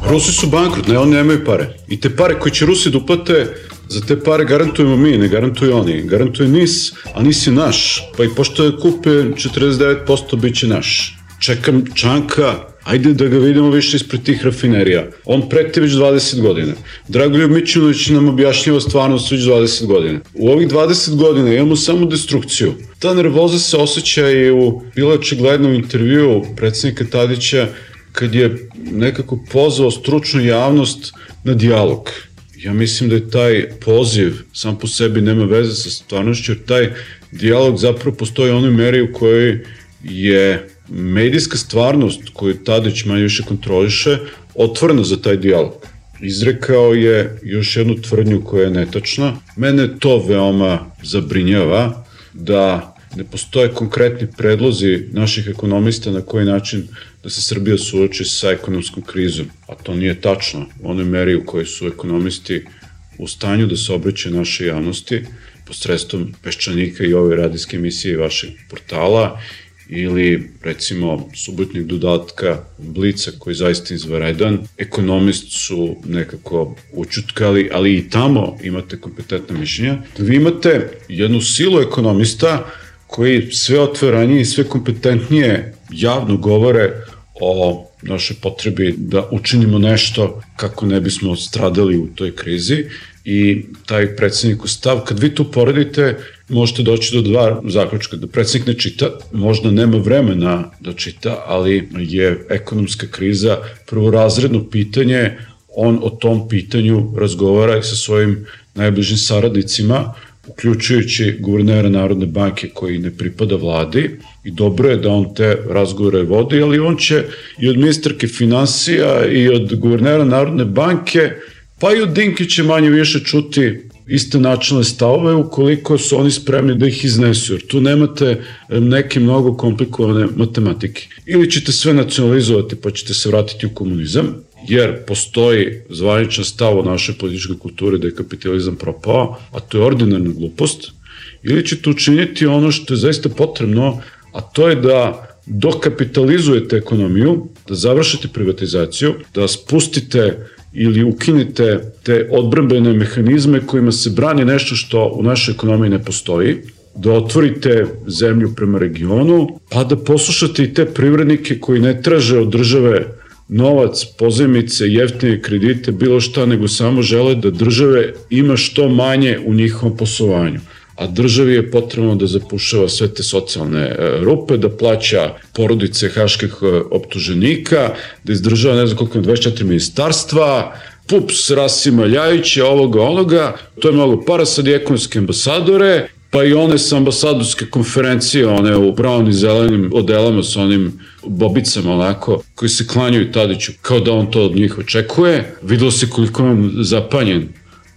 Rusi su bankrot, ne, oni nemaju pare. I te pare koje će Rusi da uplate, za te pare garantujemo mi, ne garantuju oni. Garantuje N I S, a N I S je naš. Pa i pošto je kupe četrdeset devet posto bit će naš. Čekam Čanka, ajde da ga vidimo više ispred tih rafinerija. On preti već dvadeset godina. Dragoljub Mićunović nam objašnjava stvarnost već dvadeset godina. U ovih dvadeset godina imamo samo destrukciju. Ta nervoza se osjeća i u bilo očiglednom intervju predsjednika Tadića, kad je nekako pozvao stručnu javnost na dijalog. Ja mislim da je taj poziv sam po sebi nema veze sa stvarnošću, jer taj dijalog zapravo postoji u onoj meri u kojoj je medijska stvarnost koju Tadić manje više kontroliše otvorena za taj dijalog. Izrekao je još jednu tvrdnju koja je netačna. Mene to veoma zabrinjava da ne postoje konkretni predlozi naših ekonomista na koji način da se Srbija suoči sa ekonomskom krizom. A to nije tačno u onoj meri u kojoj su ekonomisti u stanju da se obraćaju našoj javnosti posredstvom Peščanika i ove radijske emisije i vašeg portala ili recimo subotnjeg dodatka Blica koji je zaista izvanredan. Ekonomist su nekako učutkali, ali i tamo imate kompetentna mišljenja. Vi imate jednu silu ekonomista koji sve otvorenije i sve kompetentnije javno govore o našoj potrebi da učinimo nešto kako ne bismo stradali u toj krizi i taj predsjednikov stav, kad vi to poredite, možete doći do dva zaključka, da predsjednik ne čita, možda nema vremena da čita, ali je ekonomska kriza prvorazredno pitanje, on o tom pitanju razgovara i sa svojim najbližim saradnicima, uključujući guvernera Narodne banke koji ne pripada vladi i dobro je da on te razgovore vodi, ali on će i od ministarke finansija i od guvernera Narodne banke, pa i od Dinkića manje više čuti iste načelne stavove ukoliko su oni spremni da ih iznesu, jer tu nemate neke mnogo komplikovane matematike. Ili ćete sve nacionalizovati pa ćete se vratiti u komunizam, jer postoji zvaničan stav o našoj političkoj kulturi da je kapitalizam propao, a to je ordinarna glupost, ili ćete učiniti ono što je zaista potrebno, a to je da dokapitalizujete ekonomiju, da završite privatizaciju, da spustite ili ukinite te odbrambene mehanizme kojima se brani nešto što u našoj ekonomiji ne postoji, da otvorite zemlju prema regionu, pa da poslušate i te privrednike koji ne traže od države novac, pozajmice, jeftine kredite, bilo šta, nego samo žele da države ima što manje u njihovom poslovanju. A državi je potrebno da zapušava sve te socijalne rupe, da plaća porodice haških optuženika, da izdržava ne znam koliko dvadeset četiri ministarstva, pups, Rasima Ljajića, ovoga, onoga, to je mnogo para, sad i ekonomske ambasadore, pa i one sa ambasadorske konferencije, one u brown i zelenim odelama sa onim bobicama onako, koji se klanjuju Tadiću kao da on to od njih očekuje. Videlo se koliko je on zapanjen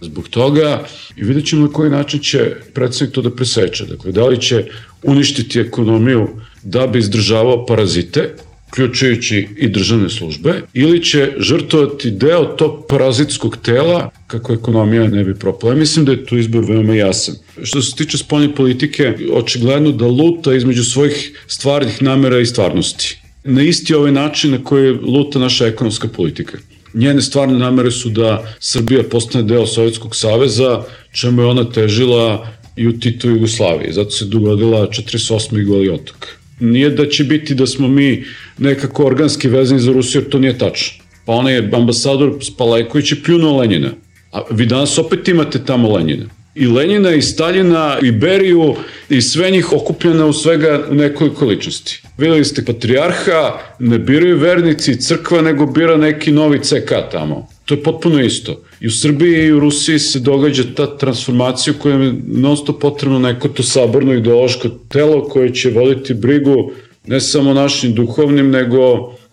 zbog toga i vidjet ćemo na koji način će predsjednik to da preseče. Dakle, da li će uništiti ekonomiju da bi izdržavao parazite, uključujući i državne službe, ili će žrtvovati deo tog parazitskog tela kako ekonomija ne bi propala. Ja mislim da je tu izbor veoma jasan. Što se tiče spoljne politike, očigledno da luta između svojih stvarnih namera i stvarnosti. Na isti ovaj način na koji luta naša ekonomska politika. Njene stvarne namere su da Srbija postane deo Sovjetskog saveza, čemu je ona težila i u Titovoj Jugoslaviji. Zato se dogodila četrdeset osme i Goli otok. Nije da će biti da smo mi nekako organski vezani za Rusiju, jer to nije tačno. Pa onaj ambasador Spalajković je pljunuo Lenjina. A vi danas opet imate tamo Lenjina. I Lenjina, i Staljina, i Beriju, i sve njih okupljena u svega nekoliko ličnosti. Videli ste patrijarha, ne biraju vernici crkva, nego bira neki novi C K tamo. To je potpuno isto. I u Srbiji i u Rusiji se događa ta transformacija u kojoj je non stop potrebno neko to saborno ideološko telo koje će voditi brigu ne samo našim duhovnim, nego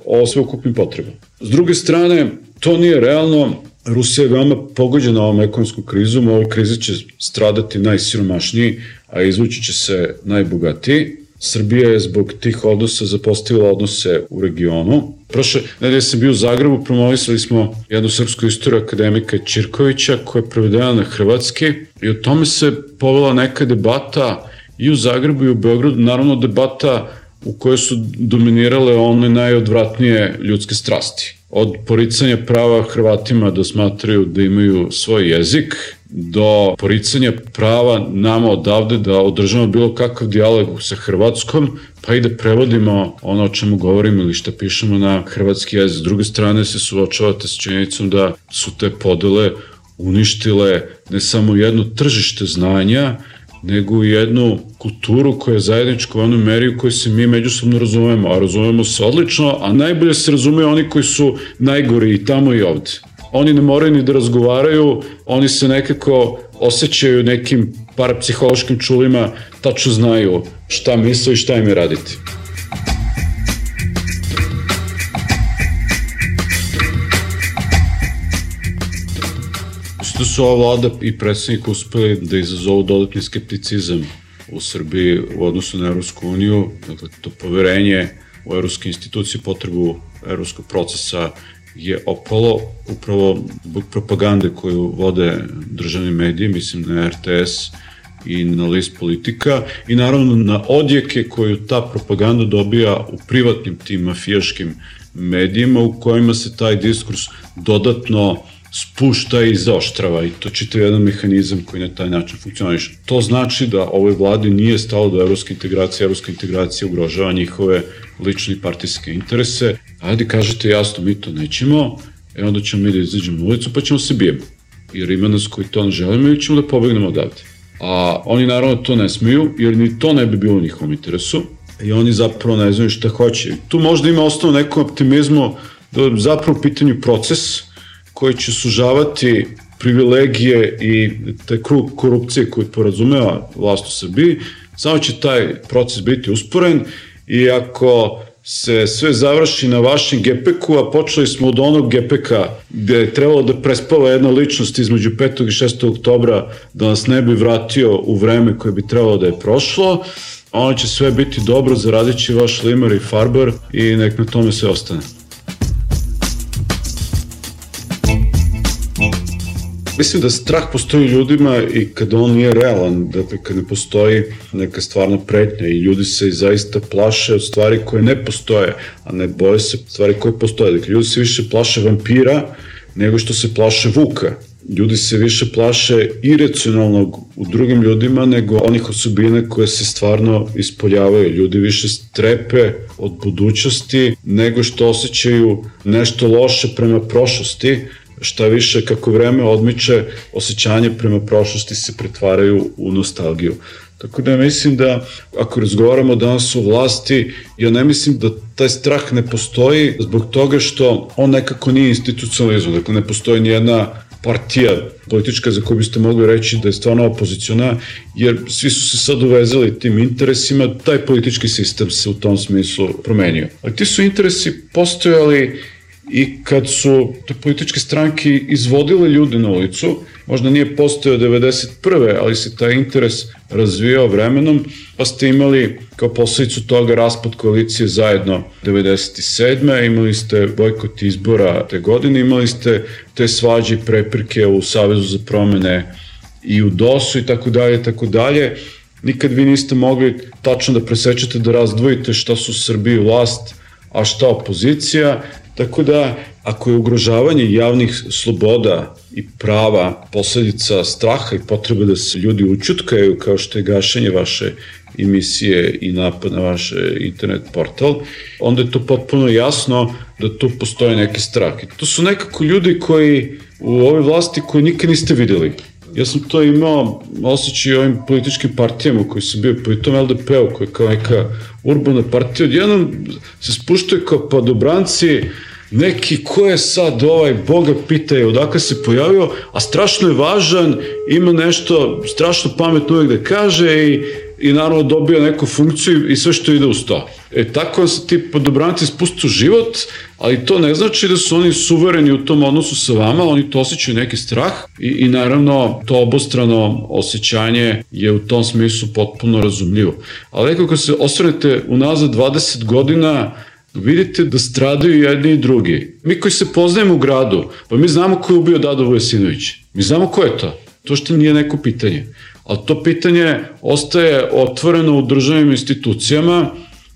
o sveukupnim potrebama. S druge strane, to nije realno. Rusija je veoma pogođena ovom ekonomskom krizom, u ovoj krizi će stradati najsiromašniji, a izvući će se najbogatiji. Srbija je zbog tih odnosa zapostavila odnose u regionu. Prošle nedelje sam bio u Zagrebu, promovisali smo jednu srpsku istoriju akademika Ćirkovića koja je prevedena na hrvatski i o tome se povela neka debata i u Zagrebu i u Beogradu, naravno debata u kojoj su dominirale one najodvratnije ljudske strasti. Od poricanja prava Hrvatima da smatraju da imaju svoj jezik, do poricanja prava nama odavde da održamo bilo kakav dijalog sa Hrvatskom, pa i da prevodimo ono o čemu govorimo ili šta pišemo na hrvatski jezik. S druge strane se suočavate s činjenicom da su te podele uništile ne samo jedno tržište znanja, nego i jednu kulturu koja je zajednička u onoj meri u kojoj se mi međusobno razumemo, a razumemo se odlično, a najbolje se razumeju oni koji su najgori i tamo i ovde. Oni ne moraju ni da razgovaraju, oni se nekako osjećaju nekim parapsihološkim čulima, tačno znaju šta misle i šta im je raditi. Da su ova vlada i predsjednik uspeli da izazovu dodatni skepticizam u Srbiji u odnosu na Evropsku uniju, dakle to poverenje u evropske institucije, potrebu evropskog procesa je opalo upravo zbog propagande koju vode državni mediji, mislim na R T S i na list Politika i naravno na odjeke koju ta propaganda dobija u privatnim tim mafijaškim medijima u kojima se taj diskurs dodatno spušta i zaoštrava i to čitav jedan mehanizam koji na taj način funkcioniše. To znači da ovoj vladi nije stalo do evropske integracije, evropska integracija ugrožava njihove lične i partijske interese. Ajde kažete jasno, mi to nećemo, e onda ćemo mi da izađemo na ulicu pa ćemo se bijemo. Jer ima nas koji to ne želimo i ćemo da pobegnemo odavde. A oni naravno to ne smeju, jer ni to ne bi bilo u njihovom interesu i oni zapravo ne znaju šta hoće. Tu možda ima osnovno nekom optimizmu da je zapravo u pitanju proces koji će sužavati privilegije i taj krug korupcije koji porazumeva vlast u Srbiji, samo će taj proces biti usporen i ako se sve završi na vašem gepeku, a počeli smo od onog gepeka gde je trebalo da prespava jedna ličnost između petog i šestog oktobra da nas ne bi vratio u vreme koje bi trebalo da je prošlo, ono će sve biti dobro, zaradit će vaš limar i farbar i nek na tome sve ostane. Mislim da strah postoji ljudima i kada on nije realan, dakle kad ne postoji neka stvarna pretnja i ljudi se zaista plaše od stvari koje ne postoje, a ne boje se stvari koje postoje. Dakle, ljudi se više plaše vampira nego što se plaše vuka. Ljudi se više plaše iracionalnog u drugim ljudima nego onih osobina koje se stvarno ispoljavaju. Ljudi više strepe od budućnosti nego što osjećaju nešto loše prema prošlosti. Šta više, kako vreme odmiče, osjećanje prema prošlosti se pretvaraju u nostalgiju. Tako da mislim da, ako razgovaramo danas o vlasti, ja ne mislim da taj strah ne postoji zbog toga što on nekako nije institucionalizovan. Dakle, ne postoji nijedna partija politička za koju biste mogli reći da je stvarno opoziciona, jer svi su se sad uvezali tim interesima, taj politički sistem se u tom smislu promenio. Ali ti su interesi postojali i kad su te političke stranke izvodile ljude na ulicu, možda nije postojao devedeset prve ali se taj interes razvijao vremenom, pa ste imali kao posledicu toga raspad koalicije zajedno devedeset sedme imali ste bojkot izbora te godine, imali ste te svađe i prepirke u Savezu za promene i u D O S-u i tako dalje, tako dalje. Nikad vi niste mogli tačno da presečete, da razdvojite šta su u Srbiji vlast, a šta opozicija. Tako da, ako je ugrožavanje javnih sloboda i prava posledica straha i potrebe da se ljudi učutkaju, kao što je gašenje vaše emisije i napad na vaš internet portal, onda je to potpuno jasno da tu postoji neki strah. I to su nekako ljudi koji u ovoj vlasti koji nikad niste videli. Ja sam to imao osjećaj ovim političkim partijama koji su bio po tom L D P-u koji je kao neka urbana partija. Odjednom se spuštaju kao padobranci, neki ko je sad ovaj, Boga pitaje odakle se pojavio, a strašno je važan, ima nešto strašno pametno uvijek da kaže i, i naravno dobio neku funkciju i sve što ide uz to. E tako se ti podobranci spustu u život, ali to ne znači da su oni suvereni u tom odnosu sa vama, oni to osjećaju neki strah i, i naravno to obostrano osjećanje je u tom smislu potpuno razumljivo. Ali nekako se osvrnete unazad dvadeset godina, vidite da stradaju jedni i drugi. Mi koji se poznajemo u gradu, pa mi znamo ko je ubio Dado Vujasinović. Mi znamo ko je to. To što nije neko pitanje. Ali to pitanje ostaje otvoreno u državnim institucijama,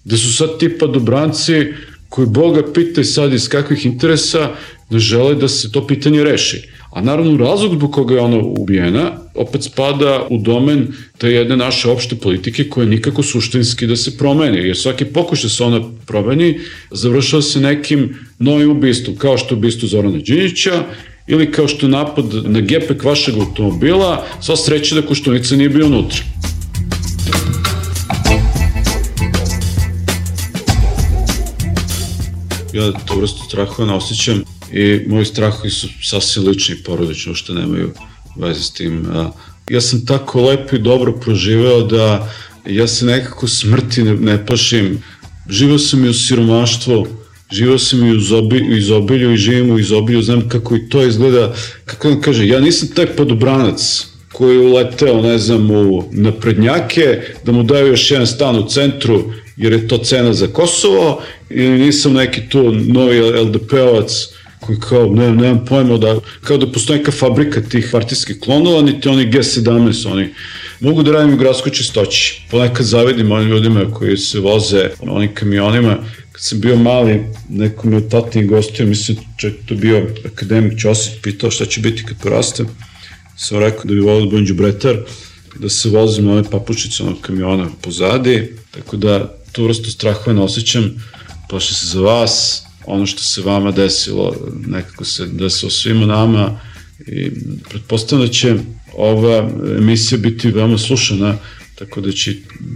gde su sad ti padobranci koji Boga pitaju sad iz kakvih interesa ne žele da se to pitanje reši. A naravno razlog zbog koga je ona ubijena opet spada u domen te jedne naše opšte politike koja nikako suštinski da se promeni. Jer svaki pokušaj se ona promeni završava se nekim novim ubistvom, kao što je ubistvo Zorana Đinđića ili kao što je napad na gepek vašeg automobila, sva sreća da Koštunica nije bio unutra. Ja to vrstu strahova ne osjećam i moji strahovi su sasvim lični i porodični, što nemaju veze s tim. Ja sam tako lepo i dobro proživeo da ja se nekako smrti ne, ne plašim. Živeo sam i u siromaštvu, živeo sam i u izobilju i živim u izobilju, znam kako i to izgleda. Kako vam kaže, ja nisam taj podobranac koji je uleteo, ne znam, u naprednjake, da mu daju još jedan stan u centru, jer je to cena za Kosovo, ili nisam neki tu novi L D P-ovac koji kao, ne, nemam pojma, da, kao da postoji neka fabrika tih partijskih klonova, niti oni G sedamnaest, oni mogu da radim u gradskoj čistoći. Ponekad zavidim onim ljudima koji se voze onim kamionima. Kad sam bio mali, neko me od tatnih gostio, mislim, čak to bio akademik Ćosić, pitao šta će biti kad porastem. Sam rekao da bi volio da budem đubretar, da se vozim na ove papučice onog kamiona pozadi, tako da tu vrstu strahova ne osjećam, plašim se za vas, ono što se vama desilo, nekako se desilo svima nama i pretpostavljam da će ova emisija biti veoma slušana, tako da će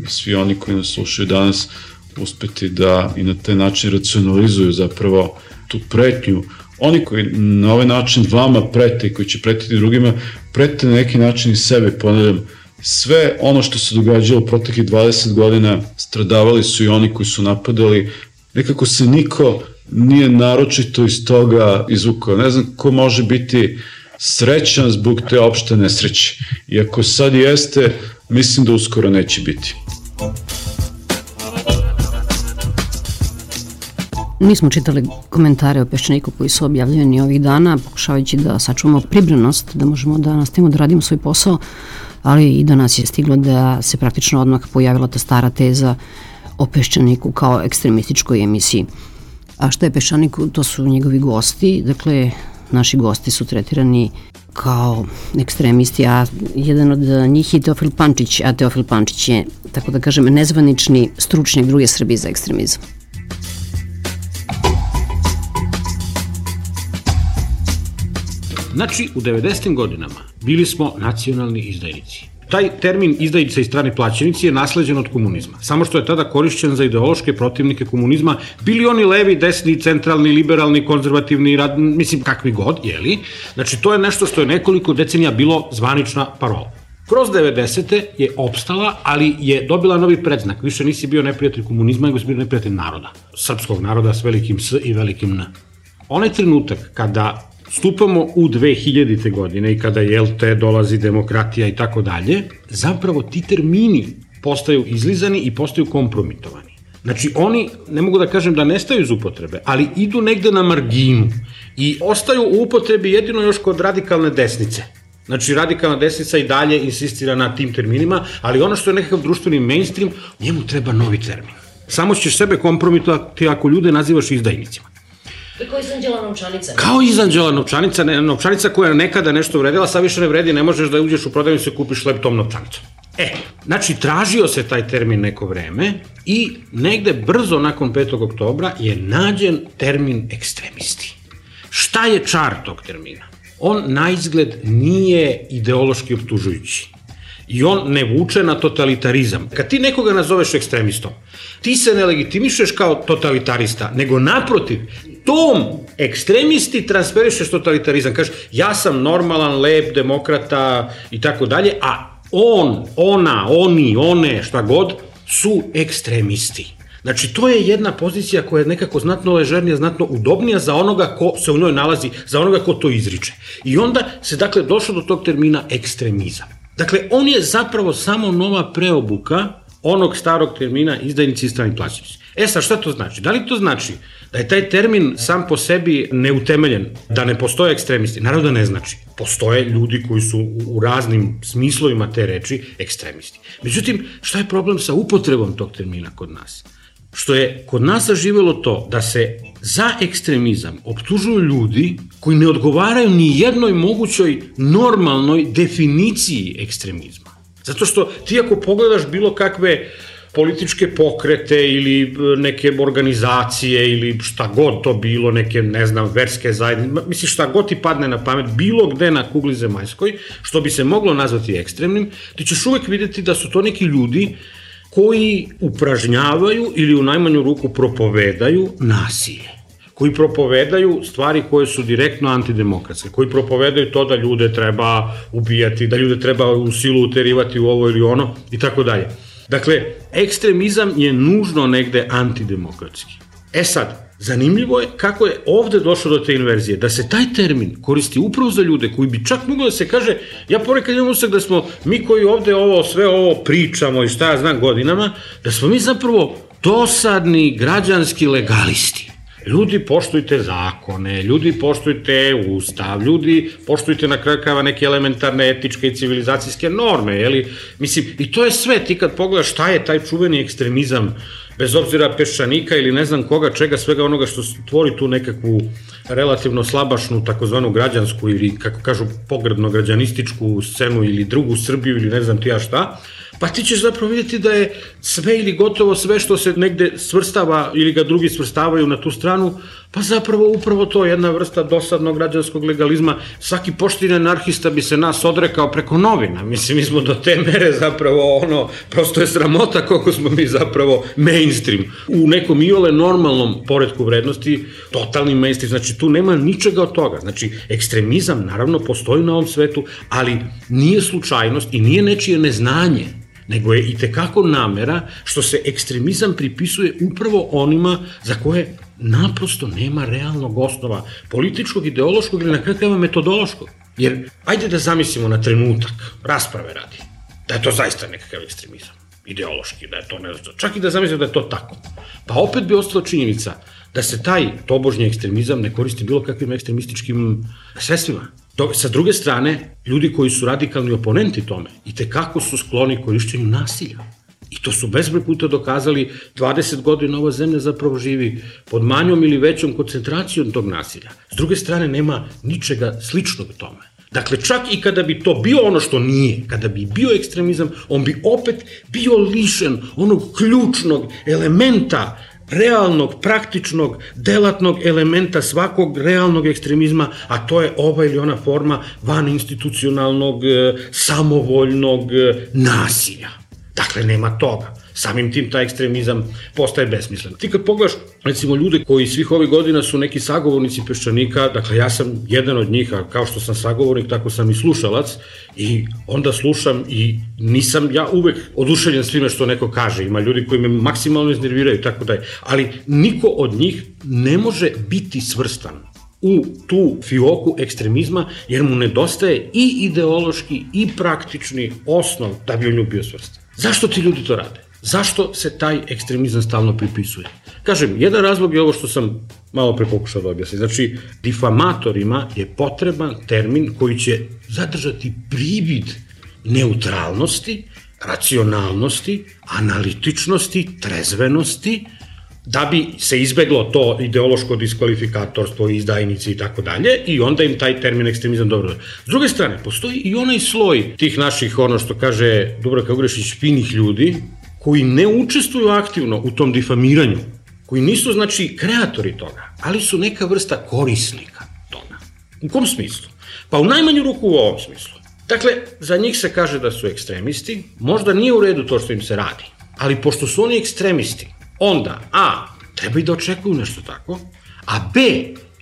svi oni koji nas slušaju danas uspeti da i na taj način racionalizuju zapravo tu pretnju. Oni koji na ovaj način vama prete i koji će pretiti drugima, prete na neki način i sebe, ponavljam, sve ono što se događalo proteklih dvadeset godina, stradavali su i oni koji su napadali, nekako se niko nije naročito iz toga izvukao. Ne znam ko može biti srećan zbog te opšte nesreće. I ako sad jeste, mislim da uskoro neće biti. Nismo čitali komentare o Peščaniku koji su objavljeni ovih dana, pokušavajući da sačuvamo pribranost, da možemo da nastavimo da radimo svoj posao, ali i do nas je stiglo da se praktično odmah pojavila ta stara teza o Peščaniku kao ekstremističkoj emisiji. A šta je Peščanik? To su njegovi gosti, dakle, naši gosti su tretirani kao ekstremisti, a jedan od njih je Teofil Pančić, a Teofil Pančić je, tako da kažem, nezvanični stručnjak druge Srbije za ekstremizam. Znači, u devedesetim godinama bili smo nacionalni izdajnici. Taj termin izdajnice i strani plaćenici je nasleđen od komunizma, samo što je tada korišćen za ideološke protivnike komunizma, bili oni levi, desni, centralni, liberalni, konzervativni, rad, mislim kakvi god, jeli? Znači, to je nešto što je nekoliko decenija bilo zvanična parola. Kroz devedesete je opstala, ali je dobila novi predznak. Više nisi bio neprijatelj komunizma, nego si bio neprijatelj naroda. Srpskog naroda s velikim S i velikim N. Onaj trenutak kada stupamo u dve hiljadite godine i kada, jel te, dolazi demokratija i tako dalje, zapravo ti termini postaju izlizani i postaju kompromitovani. Znači, oni, ne mogu da kažem da nestaju iz upotrebe, ali idu negde na marginu i ostaju u upotrebi jedino još kod radikalne desnice. Znači, radikalna desnica i dalje insistira na tim terminima, ali ono što je nekakav društveni mainstream, njemu treba novi termin. Samo ćeš sebe kompromitovati ako ljude nazivaš izdajnicima. Kao Izanđela novčanica. Kao Izanđela novčanica, ne, novčanica koja nekada nešto vredila, sad više ne vredi, ne možeš da uđeš u prodavnicu i kupiš hleb tom novčanicom. E, znači, tražio se taj termin neko vreme i negde brzo nakon petog oktobra je nađen termin ekstremisti. Šta je čar tog termina? On na izgled nije ideološki optužujući. I on ne vuče na totalitarizam. Kad ti nekoga nazoveš ekstremistom, ti se ne legitimišeš kao totalitarista, nego naprotiv, tom ekstremisti transferišeš totalitarizam. Kažeš, ja sam normalan, lep, demokrata i tako dalje, a on, ona, oni, one, šta god, su ekstremisti. Znači, to je jedna pozicija koja je nekako znatno ležernija, znatno udobnija za onoga ko se u njoj nalazi, za onoga ko to izriče. I onda se, dakle, došlo do tog termina ekstremizam. Dakle, on je zapravo samo nova preobuka onog starog termina izdajnici i strani plaćenici. E sad, šta to znači? Da li to znači da je taj termin sam po sebi neutemeljen, da ne postoje ekstremisti? Naravno da ne znači. Postoje ljudi koji su u raznim smislovima te reči ekstremisti. Međutim, šta je problem sa upotrebom tog termina kod nas? Što je kod nas zaživelo to da se za ekstremizam optužuju ljudi koji ne odgovaraju ni jednoj mogućoj normalnoj definiciji ekstremizma. Zato što ti ako pogledaš bilo kakve političke pokrete ili neke organizacije ili šta god to bilo, neke, ne znam, verske zajednice, misliš šta god ti padne na pamet, bilo gde na kugli zemaljskoj, što bi se moglo nazvati ekstremnim, ti ćeš uvek videti da su to neki ljudi koji upražnjavaju ili u najmanju ruku propovedaju nasilje, koji propovedaju stvari koje su direktno antidemokratske, koji propovedaju to da ljude treba ubijati, da ljude treba u silu uterivati u ovo ili ono i tako dalje. Dakle, ekstremizam je nužno negde antidemokratski. E sad, zanimljivo je kako je ovde došlo do te inverzije, da se taj termin koristi upravo za ljude koji bi čak moglo da se kaže, ja ponekad imam utisak da smo mi koji ovde ovo, sve ovo pričamo i šta ja znam godinama, da smo mi zapravo dosadni građanski legalisti. Ljudi, poštujte zakone, ljudi, poštujte ustav, ljudi, poštujte na kraju krajeva neke elementarne etičke i civilizacijske norme, jeli? Mislim, i to je sve, ti kad pogledaš šta je taj čuveni ekstremizam, bez obzira Peščanika ili ne znam koga, čega, svega onoga što tvori tu nekakvu relativno slabašnu, takozvanu građansku ili, kako kažu, pogrebno-građanističku scenu ili drugu Srbiju ili ne znam ti ja šta, pa ti ćeš zapravo vidjeti da je sve ili gotovo sve što se negde svrstava ili ga drugi svrstavaju na tu stranu, pa zapravo upravo to je jedna vrsta dosadnog građanskog legalizma. Svaki pošteni anarhista bi se nas odrekao preko novina. Mislim, mi smo do te mere zapravo ono, prosto je sramota koliko smo mi zapravo mainstream. U nekom iole normalnom poretku vrednosti, totalni mainstream, znači tu nema ničega od toga. Znači, ekstremizam naravno postoji na ovom svetu, ali nije slučajnost i nije nečije neznanje, nego je i tekako namera što se ekstremizam pripisuje upravo onima za koje naprosto nema realnog osnova, političkog, ideološkog ili na kraju krajeva metodološkog. Jer, ajde da zamislimo na trenutak, rasprave radi, da je to zaista nekakav ekstremizam, ideološki, da je to ne znam, čak i da zamislimo da je to tako. Pa opet bi ostala činjenica da se taj tobožnji ekstremizam ne koristi bilo kakvim ekstremističkim sredstvima. Sa druge strane, ljudi koji su radikalni oponenti tome i tekako su skloni korišćenju nasilja. I to su bezbroj puta dokazali, dvadeset godina ova zemlja zapravo živi pod manjom ili većom koncentracijom tog nasilja. S druge strane, nema ničega sličnog tome. Dakle, čak i kada bi to bio ono što nije, kada bi bio ekstremizam, on bi opet bio lišen onog ključnog elementa, realnog, praktičnog, delatnog elementa svakog realnog ekstremizma, a to je ova ili ona forma vaninstitucionalnog, samovoljnog nasilja. Dakle, nema toga. Samim tim taj ekstremizam postaje besmislen. Ti kad pogledaš, recimo, ljude koji svih ovih godina su neki sagovornici Peščanika, dakle, ja sam jedan od njih, a kao što sam sagovornik, tako sam i slušalac, i onda slušam i nisam ja uvek oduševljen svime što neko kaže. Ima ljudi koji me maksimalno iznerviraju, tako da je. Ali niko od njih ne može biti svrstan u tu fioku ekstremizma, jer mu nedostaje i ideološki i praktični osnov da bi u nju bio svrstan. Zašto ti ljudi to rade? Zašto se taj ekstremizam stalno pripisuje? Kažem, jedan razlog je ovo što sam malo pre pokušao da objasnim. Znači, difamatorima je potreban termin koji će zadržati privid neutralnosti, racionalnosti, analitičnosti, trezvenosti, da bi se izbeglo to ideološko diskvalifikatorstvo, izdajnici i tako dalje, i onda im taj termin ekstremizam dobro. S druge strane, postoji i onaj sloj tih naših, ono što kaže Dubravka Ugrešić, finih ljudi, koji ne učestvuju aktivno u tom difamiranju, koji nisu, znači, kreatori toga, ali su neka vrsta korisnika toga. U kom smislu? Pa u najmanju ruku u ovom smislu. Dakle, za njih se kaže da su ekstremisti, možda nije u redu to što im se radi, ali pošto su oni ekstremisti, onda, a, treba i da očekuju nešto tako, a b,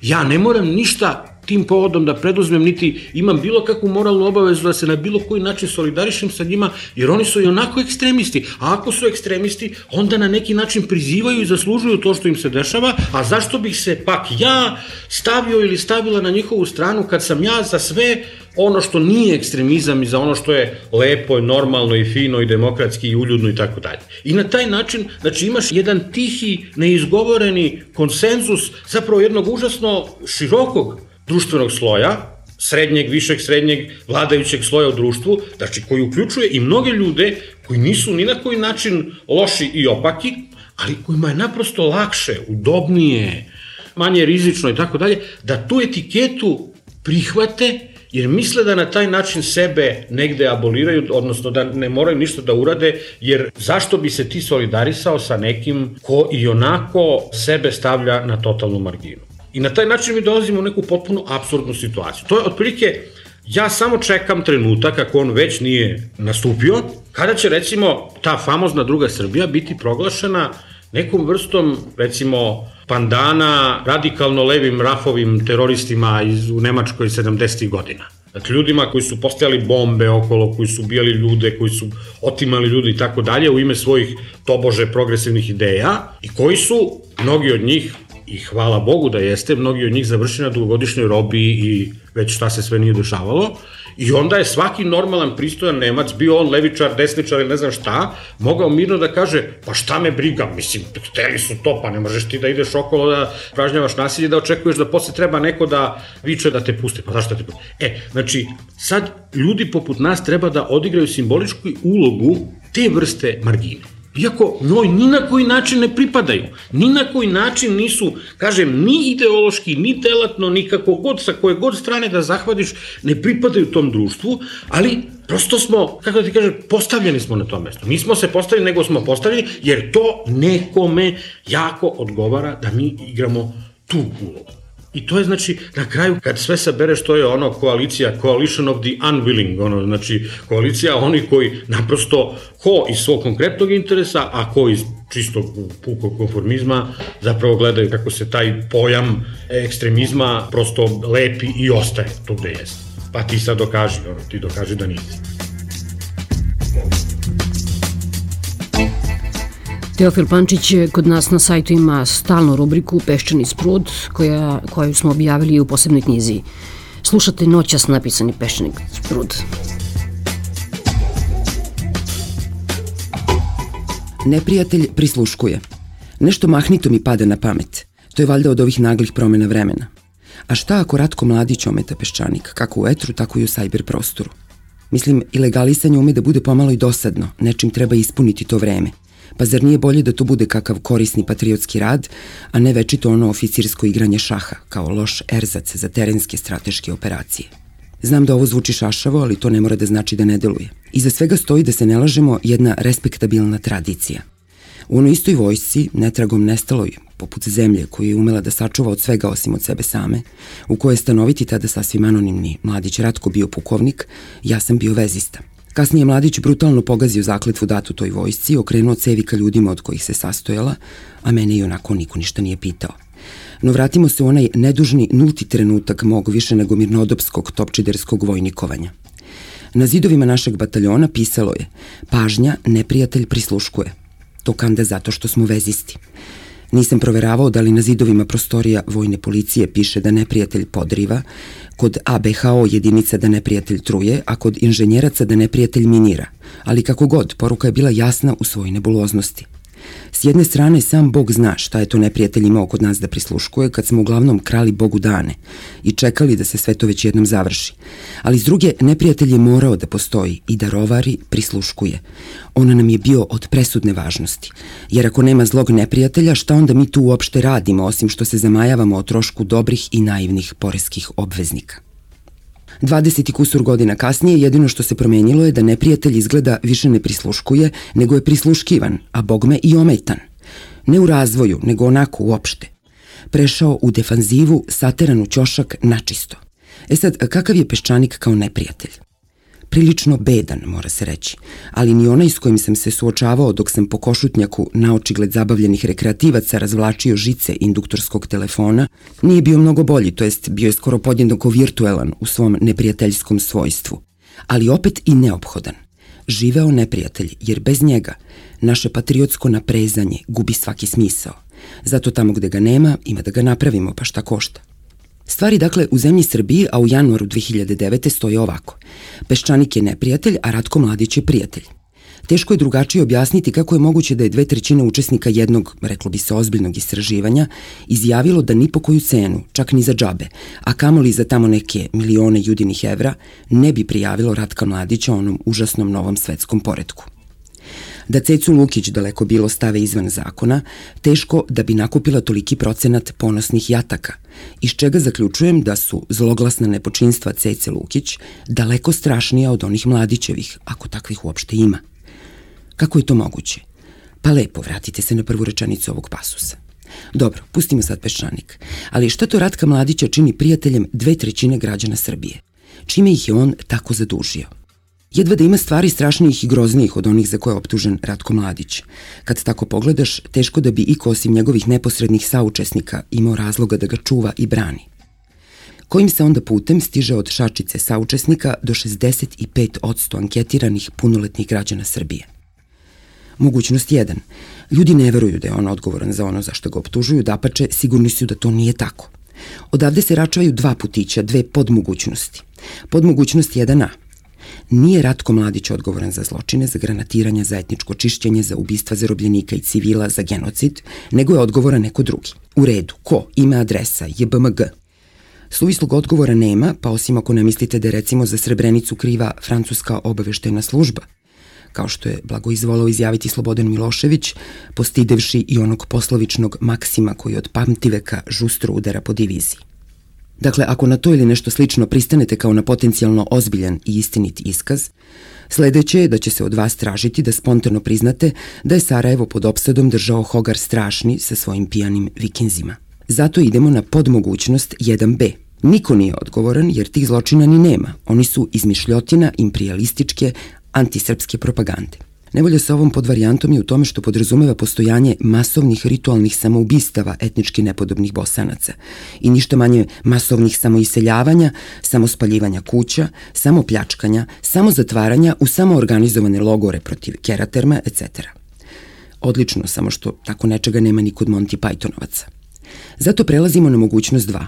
ja ne moram ništa tim povodom da preduzmem, niti imam bilo kakvu moralnu obavezu da se na bilo koji način solidarišem sa njima, jer oni su i onako ekstremisti, a ako su ekstremisti, onda na neki način prizivaju i zaslužuju to što im se dešava, a zašto bih se pak ja stavio ili stavila na njihovu stranu kad sam ja za sve ono što nije ekstremizam i za ono što je lepo i normalno i fino i demokratski i uljudno i tako dalje. I na taj način, znači, imaš jedan tihi, neizgovoreni konsenzus zapravo jednog užasno širokog društvenog sloja, srednjeg, višeg, srednjeg, vladajućeg sloja u društvu, znači koji uključuje i mnoge ljude koji nisu ni na koji način loši i opaki, ali kojima je naprosto lakše, udobnije, manje rizično i tako dalje, da tu etiketu prihvate, jer misle da na taj način sebe negde aboliraju, odnosno da ne moraju ništa da urade, jer zašto bi se ti solidarisao sa nekim ko i onako sebe stavlja na totalnu marginu. I na taj način mi dolazimo u neku potpuno apsurdnu situaciju. To je otprilike, ja samo čekam trenutak, ako on već nije nastupio, kada će, recimo, ta famozna druga Srbija biti proglašena nekom vrstom, recimo, pandana radikalno levim rafovim teroristima iz, u Nemačkoj sedamdesetih godina. Dakle, ljudima koji su postavljali bombe okolo, koji su ubijali ljude, koji su otimali ljude i tako dalje u ime svojih tobože progresivnih ideja i koji su, mnogi od njih, i hvala Bogu da jeste, mnogi od njih završeni na dugogodišnjoj robiji i već šta se sve nije dešavalo. I onda je svaki normalan, pristojan Nemac, bio on levičar, desničar ili ne znam šta, mogao mirno da kaže, pa šta me briga, mislim, hteli su to, pa ne možeš ti da ideš okolo da pražnjavaš nasilje, da očekuješ da posle treba neko da viče da te puste, pa zašto da te puste? E, znači, sad ljudi poput nas treba da odigraju simboličku ulogu te vrste margine. Iako njoj ni na koji način ne pripadaju, ni na koji način nisu, kažem, ni ideološki, ni telatno, ni kako god, sa koje god strane da zahvatiš, ne pripadaju tom društvu, ali prosto smo, kako da ti kažem, postavljeni smo na to mesto. Nismo se postavili, nego smo postavljeni, jer to nekome jako odgovara da mi igramo tu ulogu. I to je, znači, na kraju, kad sve sabereš, to je ono koalicija, coalition of the unwilling, ono, znači, koalicija onih koji naprosto, ko iz svog konkretnog interesa, a ko iz čistog pukog konformizma, zapravo gledaju kako se taj pojam ekstremizma prosto lepi i ostaje tu gde jeste. Pa ti sad dokaži, ono, ti dokaži da nisi. Teofil Pančić kod nas na sajtu ima stalnu rubriku Peščani sprud, koja, koju smo objavili u posebnoj knjizi. Slušate noćas napisani Peščani sprud. Neprijatelj prisluškuje. Nešto mahnito mi pada na pamet. To je valjda od ovih naglih promena vremena. A šta ako Ratko Mladić ometa Peščanik, kako u etru, tako i u sajber prostoru? Mislim, i legalisanje ume da bude pomalo i dosadno, nečim treba ispuniti to vreme. Pa zar nije bolje da to bude kakav korisni patriotski rad, a ne večito ono oficirsko igranje šaha, kao loš erzac za terenske strateške operacije? Znam da ovo zvuči šašavo, ali to ne mora da znači da ne deluje. Iza svega stoji, da se ne lažemo, jedna respektabilna tradicija. U onoj istoj vojsci, netragom nestaloj, poput zemlje koju je umela da sačuva od svega osim od sebe same, u kojoj je stanoviti tada sasvim anonimni Mladić Ratko bio pukovnik, ja sam bio vezista. Kasnije Mladić brutalno pogazio zakletvu datu toj vojsci, okrenuo cevi ka ljudima od kojih se sastojala, a mene i onako niko ništa nije pitao. No vratimo se u onaj nedužni nulti trenutak mog više nego mirnodopskog topčiderskog vojnikovanja. Na zidovima našeg bataljona pisalo je: pažnja, neprijatelj prisluškuje. To kanda zato što smo vezisti. Nisam proveravao da li na zidovima prostorija vojne policije piše da neprijatelj podriva, kod A B H O jedinica da neprijatelj truje, a kod inženjeraca da neprijatelj minira. Ali kako god, poruka je bila jasna u svojoj nebuloznosti. S jedne strane, sam Bog zna šta je to neprijatelj imao kod nas da prisluškuje kad smo uglavnom krali Bogu dane i čekali da se sve to već jednom završi. Ali s druge, neprijatelj je morao da postoji i da rovari, prisluškuje. On nam je bio od presudne važnosti. Jer ako nema zlog neprijatelja, šta onda mi tu uopšte radimo, osim što se zamajavamo o trošku dobrih i naivnih poreskih obveznika? dvadeset i kusur godina kasnije jedino što se promenilo je da neprijatelj izgleda više ne prisluškuje, nego je prisluškivan, a bogme i ometan. Ne u razvoju, nego onako uopšte. Prešao u defanzivu, sateran u ćošak načisto. E sad, kakav je Peščanik kao neprijatelj? Prilično bedan, mora se reći, ali ni onaj s kojim sam se suočavao dok sam po Košutnjaku na očigled zabavljenih rekreativaca razvlačio žice induktorskog telefona, nije bio mnogo bolji, to jest bio je skoro podjednako virtuelan u svom neprijateljskom svojstvu, ali opet i neophodan. Živeo neprijatelj, jer bez njega naše patriotsko naprezanje gubi svaki smisao. Zato tamo gde ga nema, ima da ga napravimo, pa šta košta. Stvari, dakle, u zemlji Srbiji, a u januaru dve hiljade devete stoje ovako. Peščanik je neprijatelj, a Ratko Mladić je prijatelj. Teško je drugačije objasniti kako je moguće da je dve trećine učesnika jednog, reklo bi se, ozbiljnog istraživanja izjavilo da ni po koju cenu, čak ni za džabe, a kamoli za tamo neke milione judinih evra, ne bi prijavilo Ratka Mladića onom užasnom novom svetskom poretku. Da Cecu Lukić daleko bilo stave izvan zakona, teško da bi nakupila toliki procenat ponosnih jataka, iz čega zaključujem da su zloglasna nepočinstva Cece Lukić daleko strašnija od onih Mladićevih, ako takvih uopšte ima. Kako je to moguće? Pa lepo, vratite se na prvu rečenicu ovog pasusa. Dobro, pustimo sad Peščanik, ali šta to Ratka Mladića čini prijateljem dve trećine građana Srbije? Čime ih je on tako zadužio? Jedva da ima stvari strašnijih i groznijih od onih za koje je optužen Ratko Mladić. Kad tako pogledaš, teško da bi iko osim njegovih neposrednih saučesnika imao razloga da ga čuva i brani. Kojim se onda putem stiže od šačice saučesnika do šezdeset pet posto anketiranih punoletnih građana Srbije? Mogućnost jedan. Ljudi ne veruju da je on odgovoran za ono za što ga optužuju, dapače, sigurni su da to nije tako. Odavde se račvaju dva putića, dve podmogućnosti. Podmogućnost jedan a. Nije Ratko Mladić odgovoran za zločine, za granatiranje, za etničko čišćenje, za ubistva zarobljenika i civila, za genocid, nego je odgovoran neko drugi. U redu, ko? Ime, adresa, J B M G. Suvislog odgovora nema, pa osim ako ne mislite da je recimo za Srebrenicu kriva francuska obaveštajna služba, kao što je blago izvolao izjaviti Slobodan Milošević, postidevši i onog poslovičnog Maksima koji od pamtiveka žustro udara po diviziji. Dakle, ako na to ili nešto slično pristanete kao na potencijalno ozbiljan i istinit iskaz, sledeće je da će se od vas tražiti da spontano priznate da je Sarajevo pod opsadom držao Hogar Strašni sa svojim pijanim vikinzima. Zato idemo na podmogućnost jedan be. Niko nije odgovoran jer tih zločina ni nema. Oni su izmišljotina imperijalističke, antisrpske propagande. Nevolja sa ovom podvarijantom je u tome što podrazumeva postojanje masovnih ritualnih samoubistava etnički nepodobnih Bosanaca i ništa manje masovnih samoiseljavanja, samospaljivanja kuća, samopljačkanja, samozatvaranja u samoorganizovane logore protiv Keraterma, et cetera. Odlično, samo što tako nečega nema ni kod Monty Pythonovaca. Zato prelazimo na mogućnost dva.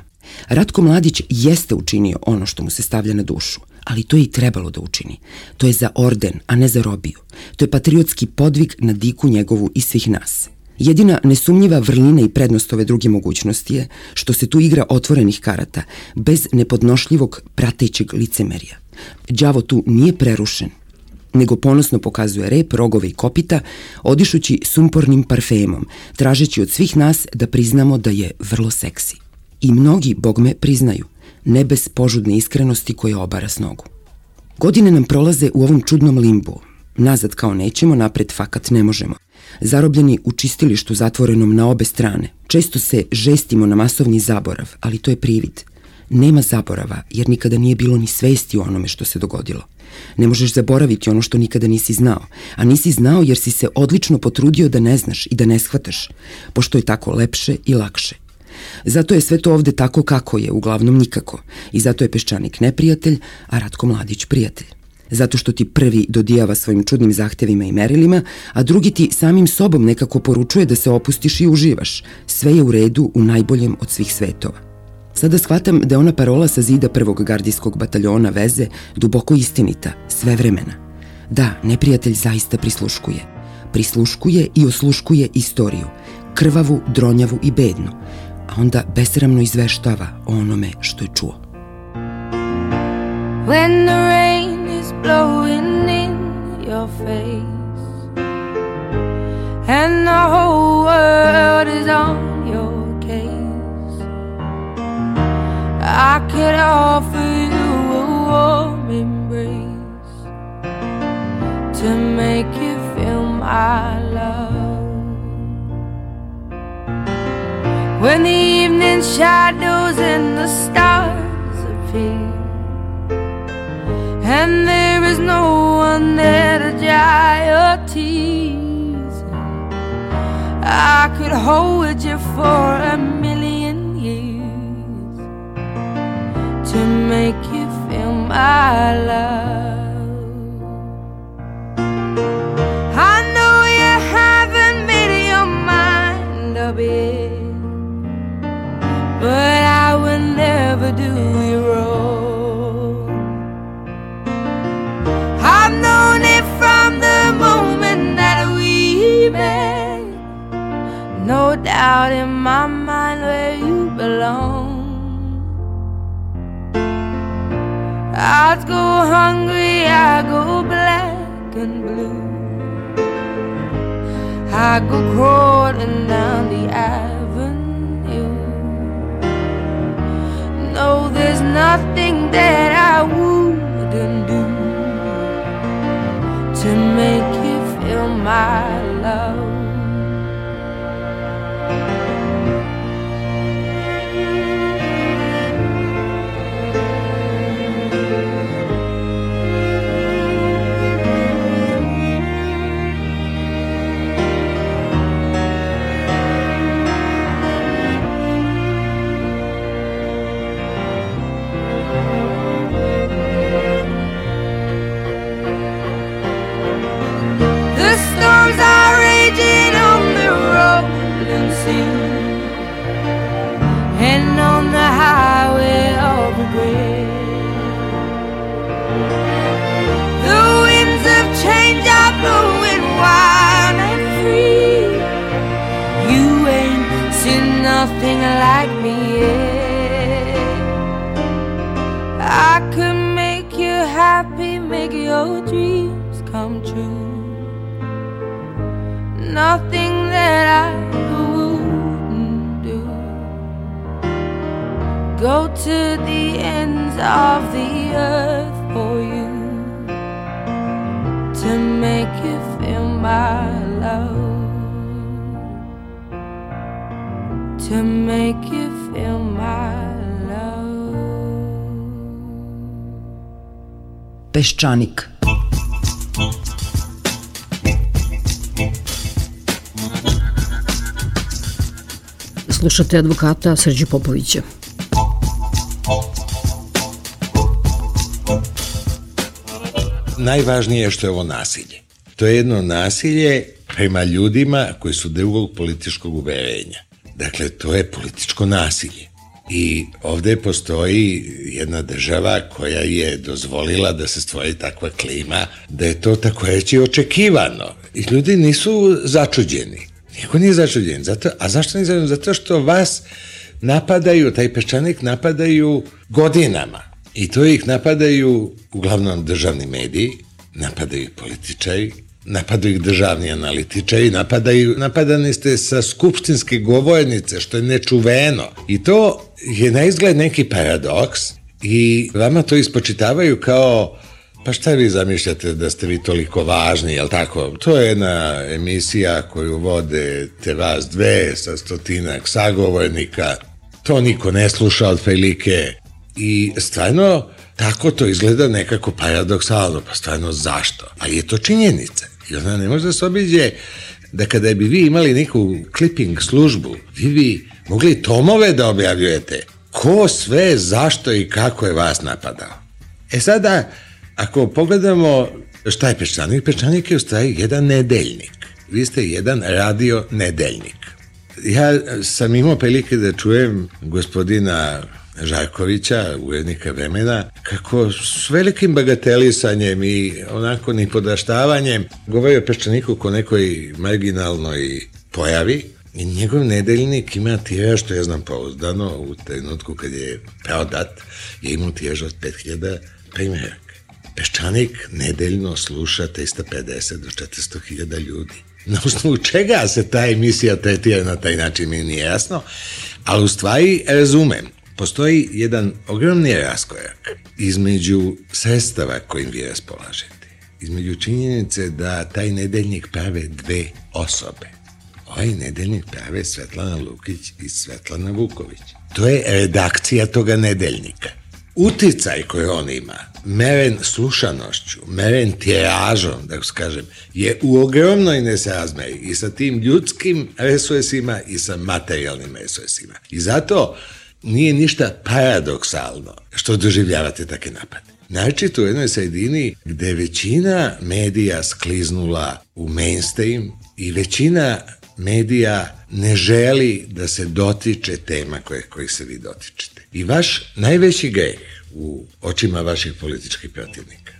Ratko Mladić jeste učinio ono što mu se stavlja na dušu, ali to je i trebalo da učini. To je za orden, a ne za robiju. To je patriotski podvig na diku njegovu i svih nas. Jedina nesumnjiva vrlina i prednost ove druge mogućnosti je što se tu igra otvorenih karata, bez nepodnošljivog pratećeg licemerja. Đavo tu nije prerušen, nego ponosno pokazuje rep, rogove i kopita, odišući sumpornim parfemom, tražeći od svih nas da priznamo da je vrlo seksi. I mnogi, bogme, priznaju, ne bez požudne iskrenosti koja obara s nogu. Godine nam prolaze u ovom čudnom limbu. Nazad kao nećemo, napred fakat ne možemo. Zarobljeni u čistilištu zatvorenom na obe strane. Često se žestimo na masovni zaborav, ali to je privid. Nema zaborava, jer nikada nije bilo ni svesti o onome što se dogodilo. Ne možeš zaboraviti ono što nikada nisi znao, a nisi znao jer si se odlično potrudio da ne znaš i da ne shvataš, pošto je tako lepše i lakše. Zato je sve to ovde tako kako je, uglavnom nikako. I zato je Peščanik neprijatelj, a Ratko Mladić prijatelj. Zato što ti prvi dodijava svojim čudnim zahtevima i merilima, a drugi ti samim sobom nekako poručuje da se opustiš i uživaš. Sve je u redu u najboljem od svih svetova. Sada shvatam da je ona parola sa zida prvog gardijskog bataljona veze duboko istinita, sve vremena. Da, neprijatelj zaista prisluškuje. prisluškuje i osluškuje istoriju, krvavu, dronjavu i bednu, a onda besramno izveštava o onome što je čuo. When the rain is blowing in your face and the whole world is on your case, I could offer you a warm embrace to make you feel my love. When the evening shadows and the stars appear and there is no one there to dry your tears, I could hold you for a million years to make you feel my love. I know you haven't made your mind up yet, but I will never do you wrong. I've known it from the moment that we met, no doubt in my mind where you belong. I go hungry, I go black and blue, I go crawling down the avenue. No, there's nothing that I wouldn't do to make you feel my love. Storms are raging on the rolling sea and on the highway of regret. The winds of change are blowing wild and free. You ain't seen nothing like me yet. I could make you happy, make your dreams come true. Nothing that I wouldn't do. Go to the ends of the earth for you to make you feel my love, to make you feel my love. Peščanik. Slušate advokata Srđu Popovića. Najvažnije je što je ovo nasilje. To je jedno nasilje prema ljudima koji su drugog političkog uverenja. Dakle, to je političko nasilje. I ovde postoji jedna država koja je dozvolila da se stvori takva klima, da je to tako reći očekivano. I ljudi nisu začuđeni. Niko nije začuđen. Zato, a zašto nije začuđen? Zato što vas napadaju, taj Peščanik napadaju godinama. I to ih napadaju uglavnom državni mediji, napadaju ih političari, napadaju ih državni analitičari, napadaju, napadani ste sa skupštinske govornice, što je nečuveno. I to je na izgled neki paradoks i vama to ispočitavaju kao pa šta vi zamišljate da ste vi toliko važni, jel tako? To je jedna emisija koju vode te vas dve sa stotinak sagovornika. To niko ne sluša od prilike. I stvarno, tako to izgleda nekako paradoksalno. Pa stvarno zašto? Ali je to činjenica. I ona ne može da se obiđe da kada bi vi imali neku clipping službu, vi bi mogli tomove da objavljujete. Ko sve, zašto i kako je vas napadao. E sada, ako pogledamo šta je Peščanik, Peščanik je u stvari jedan nedeljnik. Vi ste jedan radio nedeljnik. Ja sam imao prilike da čujem gospodina Žarkovića, urednika Vremena, kako s velikim bagatelisanjem i onako nipodaštavanjem govori o Peščaniku ko nekoj marginalnoj pojavi. I njegov nedeljnik ima tiraž, što ja znam pouzdano, u trenutku kad je prodat, je imao tiraž od pet hiljada primjeraka. Peščanik nedeljno sluša trista pedeset do četiristo hiljada ljudi. Na osnovu čega se ta emisija tretira na taj način mi nije jasno, ali u stvari razumem. Postoji jedan ogromni raskorak između sredstava kojim vi raspolažete, između činjenice da taj nedeljnik prave dve osobe. Ovaj nedeljnik prave Svetlana Lukić i Svetlana Vuković. To je redakcija toga nedeljnika. Uticaj koji on ima, meren slušanošću, meren tiražom, da kažem, je u ogromnoj nesrazmeri i sa tim ljudskim resursima i sa materijalnim resursima. I zato nije ništa paradoksalno što doživljavate take napade. Naročito u jednoj sredini gde većina medija skliznula u mainstream i većina medija ne želi da se dotiče tema koje, kojih se vi dotičete. I vaš najveći greh u očima vaših političkih protivnika,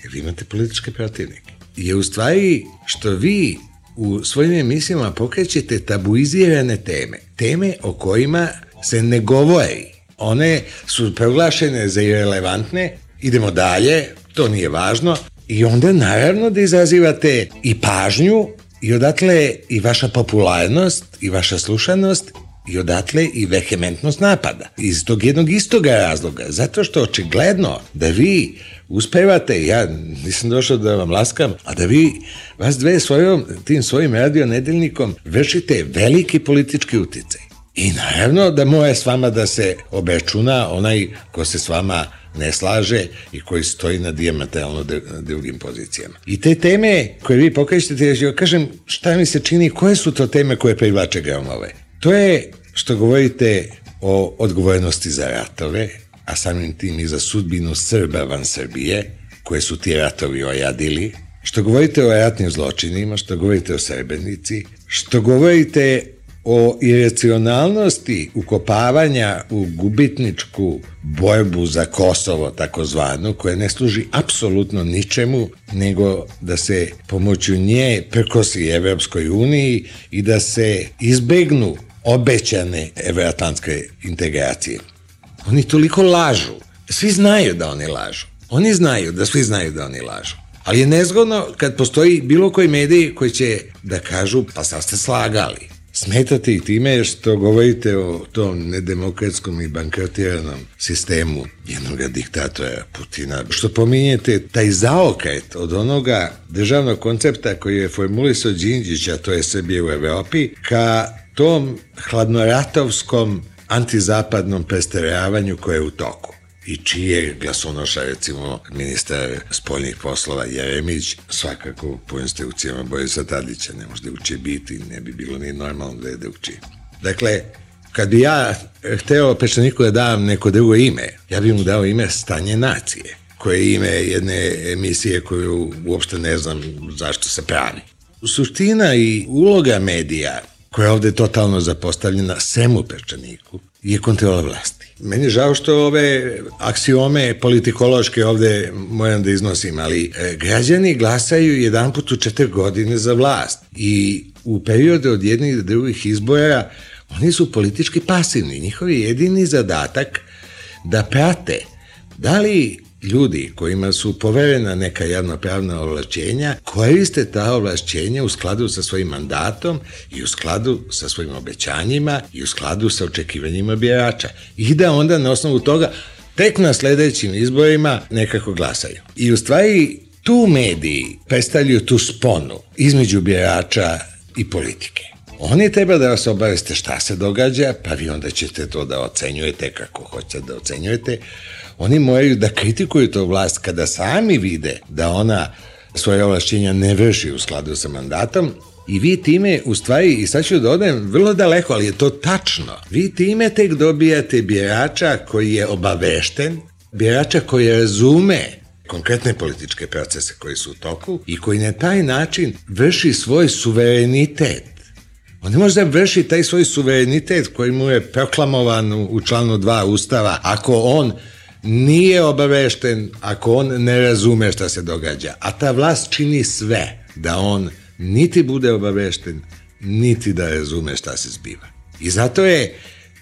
jer vi imate političke protivnike, je u stvari što vi u svojim emisijama pokrećete tabuizirane teme, teme o kojima se ne govori. One su proglašene za irelevantne, idemo dalje, to nije važno, i onda naravno da izazivate i pažnju, i odatle i vaša popularnost, i vaša slušanost, i odatle i vehementnost napada. Iz tog jednog istoga razloga, zato što očigledno da vi uspevate, ja nisam došao da vam laskam, a da vi, vas dve svojom, tim svojim radio nedeljnikom vršite veliki politički uticaj. I naravno da mora s vama da se obračuna onaj ko se s vama ne slaže i koji stoji na dijametralno drugim pozicijama. I te teme koje vi pokrećete, ja kažem šta mi se čini, koje su to teme koje privlače gramove? To je što govorite o odgovornosti za ratove, a samim tim i za sudbinu Srba van Srbije, koje su ti ratovi ojadili, što govorite o ratnim zločinima, što govorite o Srebrenici, što govorite o iracionalnosti ukopavanja u gubitničku borbu za Kosovo, takozvanu, koja ne služi apsolutno ničemu, nego da se pomoću nje prkosi Evropskoj uniji i da se izbegnu obećane evroatlantske integracije. Oni toliko lažu. Svi znaju da oni lažu. Oni znaju da svi znaju da oni lažu. Ali je nezgodno kad postoji bilo koji mediji koji će da kažu pa sad ste slagali. Smetate i time što govorite o tom nedemokratskom i bankrotiranom sistemu jednog diktatora Putina. Što pominjete taj zaokret od onoga državnog koncepta koji je formulisao Đinđić, a to je Srbije u Evropi, ka tom hladnoratovskom antizapadnom prestaravanju koje je u toku. I čije glasonoša, recimo, ministar spoljnih poslova Jeremić, svakako po instrukcijama Borisa Tadića ne može da uči biti, ne bi bilo ni normalno da je da uči. Dakle, kad bi ja hteo Peščaniku da dam neko drugo ime, ja bi mu dao ime Stanje nacije, koje je ime jedne emisije koju uopšte ne znam zašto se pravi. Suština i uloga medija, koja je ovde totalno zapostavljena svemu Peščaniku, je kontrola vlasti. Meni je žao što ove aksiome politikološke ovde moram da iznosim, ali građani glasaju jedan put u četiri godine za vlast i u periodu od jednih do drugih izbora oni su politički pasivni. Njihov je jedini zadatak da prate da li ljudi kojima su poverena neka javnopravna ovlašćenja koriste ta ovlašćenja u skladu sa svojim mandatom i u skladu sa svojim obećanjima i u skladu sa očekivanjima birača. I da onda na osnovu toga tek na sledećim izborima nekako glasaju. I u stvari tu mediji predstavljaju tu sponu između birača i politike. Oni treba da vas obaveste šta se događa, pa vi onda ćete to da ocenjujete kako hoćete da ocenjujete. Oni moraju da kritikuju to vlast kada sami vide da ona svoje ovlašćenja ne vrši u skladu sa mandatom i vi time, u stvari, i sad ću da odem vrlo daleko, ali je to tačno, vi time tek dobijate birača koji je obavešten, birača koji razume konkretne političke procese koji su u toku i koji na taj način vrši svoj suverenitet. On ne može da vrši taj svoj suverenitet koji mu je proklamovan u članu dva Ustava ako on nije obavešten, ako on ne razume šta se događa. A ta vlast čini sve da on niti bude obavešten, niti da razume šta se zbiva. I zato je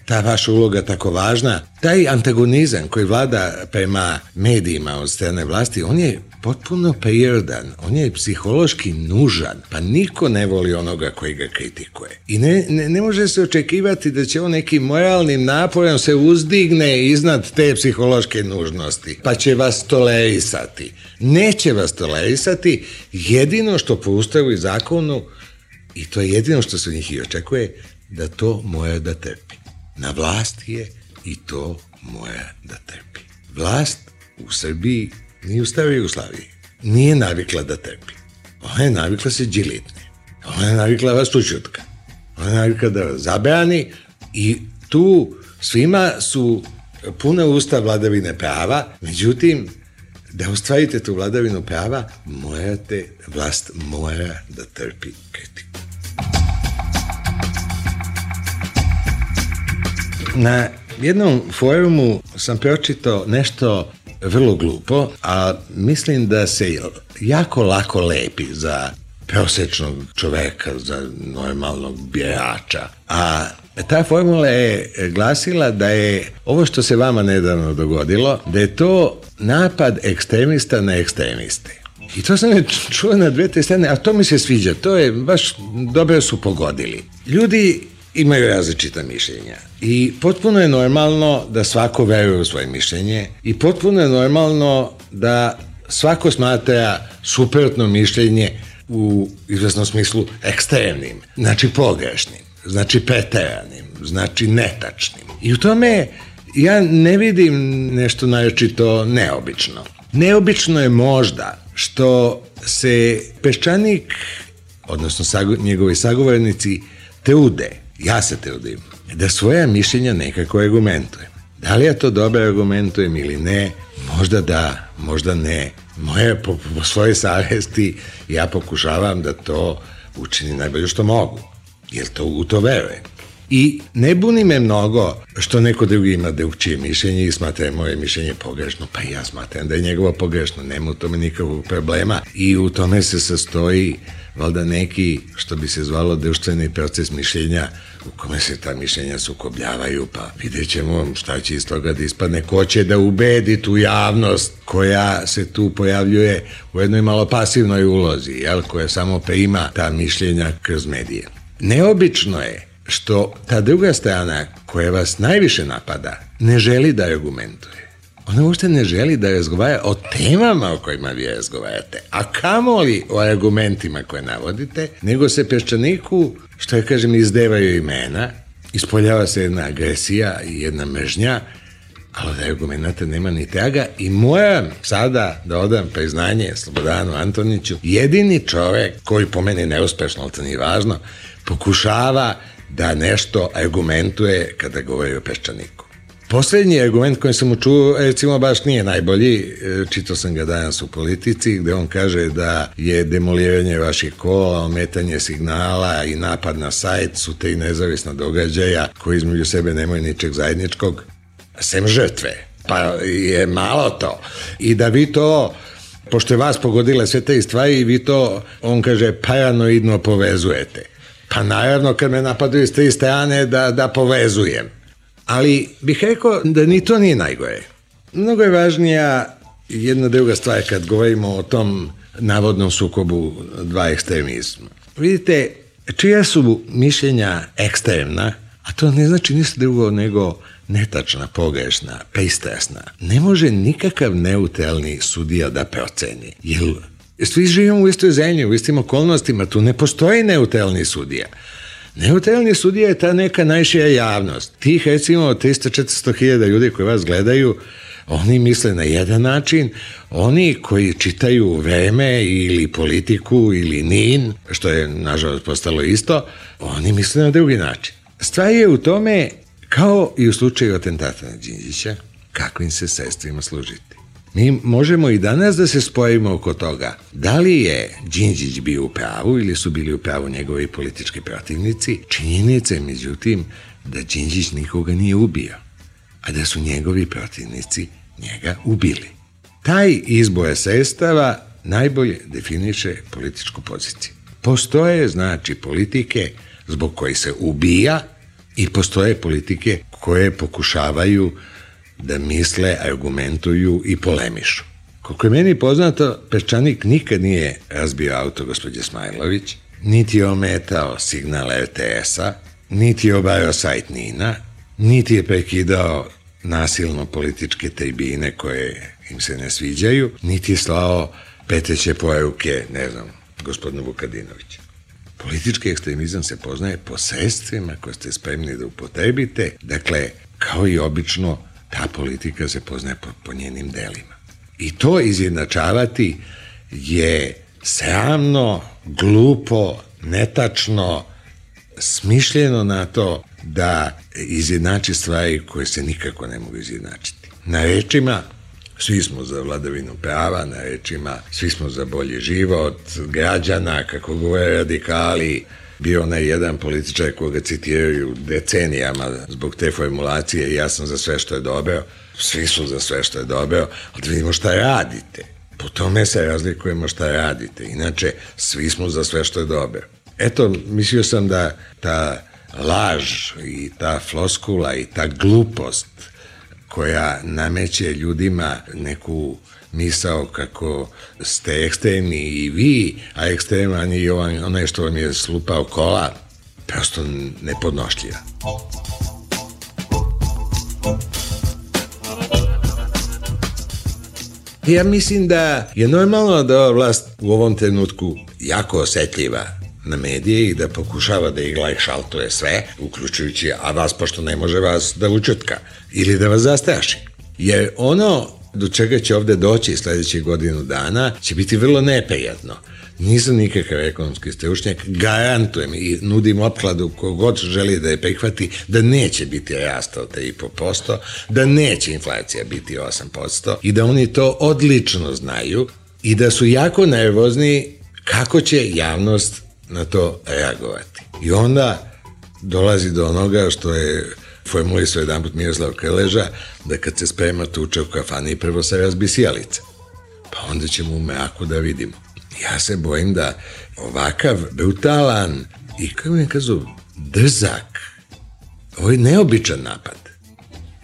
ta vaša uloga tako važna. Taj antagonizam koji vlada prema medijima od strane vlasti, on je potpuno prirodan, on je psihološki nužan, pa niko ne voli onoga koji ga kritikuje. I ne, ne, ne može se očekivati da će on nekim moralnim naporom se uzdigne iznad te psihološke nužnosti, pa će vas tolerisati. Neće vas tolerisati, jedino što po Ustavu i zakonu, i to je jedino što se od njih i očekuje, da to mora da trpi. Na vlasti je i to mora da trpi. Vlast u Srbiji ni u staroj Jugoslaviji nije navikla da trpi. Ona je navikla se džilitne. Ona je navikla vas učutka. Ona je navikla da vas zabrani i tu svima su puna usta vladavine prava, međutim, da ostvarite tu vladavinu prava, morate, vlast mora da trpi kritiku. Na jednom forumu sam pročitao nešto vrlo glupo, a mislim da se jako lako lepi za prosječnog čoveka, za normalnog birača. A ta formula je glasila da je ovo što se vama nedavno dogodilo, da je to napad ekstremista na ekstremiste. I to sam je čuo na dve te strane, a to mi se sviđa, to je baš dobro su pogodili. Ljudi imaju različita mišljenja i potpuno je normalno da svako veruje u svoje mišljenje i potpuno je normalno da svako smatra suprotno mišljenje u izvesnom smislu ekstremnim, znači pogrešnim, znači preteranim, znači netačnim. I u tome ja ne vidim nešto naročito neobično. Neobično je možda što se Peščanik, odnosno sago, njegovi sagovornici, trude, ja se trudim, da svoja mišljenja nekako argumentujem. Da li ja to dobro argumentujem ili ne, možda da, možda ne. Moje, po, po svoje savesti ja pokušavam da to učinim najbolje što mogu, jer to, u to verujem. I ne buni me mnogo što neko drugi ima drugčije mišljenje i smatra moje mišljenje pogrešno, pa ja smatram da je njegovo pogrešno, nema u tome nikakvog problema i u tome se sastoji valjda neki, što bi se zvalo društveni proces mišljenja u kome se ta mišljenja sukobljavaju, pa vidjet ćemo šta će iz toga da ispadne, ko će da ubedi tu javnost koja se tu pojavljuje u jednoj malo pasivnoj ulozi, jel, koja samo prima ta mišljenja kroz medije. Neobično je što ta druga strana koja vas najviše napada ne želi da argumentuje. Ona uopšte ne želi da razgovara o temama o kojima vi razgovarate, a kamoli o argumentima koje navodite, nego se Peščaniku, što ja kažem, izdevaju imena, ispoljava se jedna agresija i jedna mržnja, ali od argumenta nema ni traga i moram sada da odam priznanje Slobodanu Antoniću, jedini čovek koji po meni neuspešno, ali to nije važno, pokušava da nešto argumentuje kada govori o Peščaniku. Poslednji argument koji sam mu čuo, recimo, baš nije najbolji, čitao sam ga danas u Politici, gde on kaže da je demoliranje vaših kola, ometanje signala i napad na sajt su tri nezavisna događaja koji između sebe nemaju ničeg zajedničkog, sem žrtve. Pa je malo to. I da vi to, pošto je vas pogodile sve te stvari, vi to, on kaže, paranoidno povezujete. Pa naravno, kad me napadaju s tri strane, da, da povezujem. Ali bih rekao da ni to nije najgore. Mnogo je važnija jedna druga stvar kad govorimo o tom navodnom sukobu dva ekstremizma. Vidite, čija su mišljenja ekstremna, a to ne znači ništa drugo nego netačna, pogrešna, pristrasna, ne može nikakav neutralni sudija da proceni. Jer svi živimo u istoj zemlji, u istim okolnostima, tu ne postoji neutralni sudija. Neutralni sudija je ta neka najšira javnost. Tih, recimo, tristo do četiristo hiljada ljudi koji vas gledaju, oni misle na jedan način, oni koji čitaju Vreme ili Politiku ili N I N, što je, nažalost, postalo isto, oni misle na drugi način. Stvar je u tome, kao i u slučaju atentata na Đinđića, kakvim se sredstvima služiti. Mi možemo i danas da se spojimo oko toga. Da li je Đinđić bio u pravu ili su bili u pravu njegovi politički protivnici? Činjenica je, međutim, da Đinđić nikoga nije ubio, a da su njegovi protivnici njega ubili. Taj izbor sestava najbolje definiše političku poziciju. Postoje, znači, politike zbog koje se ubija i postoje politike koje pokušavaju da misle, argumentuju i polemišu. Koliko je meni poznato, Peščanik nikad nije razbio auto gospođe Smajlović, niti je ometao signal er te esa, niti je obarao sajt Nina, niti je prekidao nasilno političke tribine koje im se ne sviđaju, niti je slao peteće poruke, ne znam, gospodinu Vukadinoviću. Politički ekstremizam se poznaje po sredstvima koje ste spremni da upotrebite, dakle, kao i obično, ta politika se poznaje po, po njenim delima. I to izjednačavati je sramno, glupo, netačno, smišljeno na to da izjednači stvari koje se nikako ne mogu izjednačiti. Na rečima svi smo za vladavinu prava, na rečima svi smo za bolji život građana, kako govore radikali. Bio onaj jedan političar koga citiraju decenijama zbog te formulacije, ja sam za sve što je dobro, svi su za sve što je dobro, ali da vidimo šta radite. Po tome se razlikujemo šta radite, inače svi smo za sve što je dobro. Eto, mislio sam da ta laž i ta floskula i ta glupost koja nameće ljudima neku misao kako ste ekstremni i vi, a ekstreman i onaj što vam je slupao kola, prosto nepodnošljiva. Ja mislim da je normalno da ova vlast u ovom trenutku jako osetljiva na medije i da pokušava da igla i šaltuje sve, uključujući, a vas pošto ne može vas da učutka ili da vas zastraši. Jer ono do čega će ovde doći sledećih godinu dana će biti vrlo neprijatno. Nisam nikakav ekonomski stručnjak, garantujem i nudim opkladu kogod želi da je prihvati da neće biti rasta od tri i po posto, da neće inflacija biti osam posto i da oni to odlično znaju i da su jako nervozni kako će javnost na to reagovati. I onda dolazi do onoga što je formulisao jedan put Miroslav Krleža, da kad se sprema tuča u kafani prvo se razbi sjalica. Pa onda ćemo u mraku da vidimo. Ja se bojim da ovakav brutalan i, kako mi kazu, drzak, ovo je neobičan napad.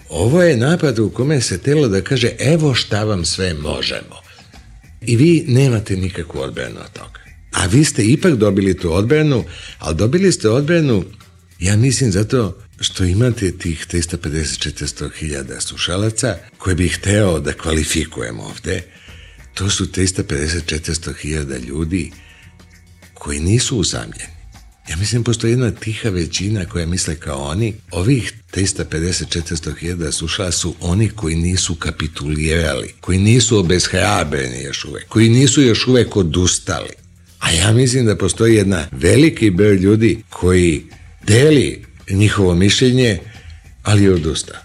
Ovo je napad u kome se telo da kaže evo šta vam sve možemo. I vi nemate nikakvu odbranu od toga. A vi ste ipak dobili tu odbranu, ali dobili ste odbranu, ja mislim, zato što imate tih trista pedeset do četiristo hiljada slušalaca koje bih hteo da kvalifikujem ovde. To su trista pedeset do četiristo hiljada ljudi koji nisu usamljeni. Ja mislim, postoji jedna tiha većina koja misle kao oni. Ovih trista pedeset do četiristo hiljada slušala su oni koji nisu kapitulirali, koji nisu obeshrabreni još uvek, koji nisu još uvek odustali. A ja mislim da postoji jedna veliki broj ljudi koji deli njihovo mišljenje, ali je odustao.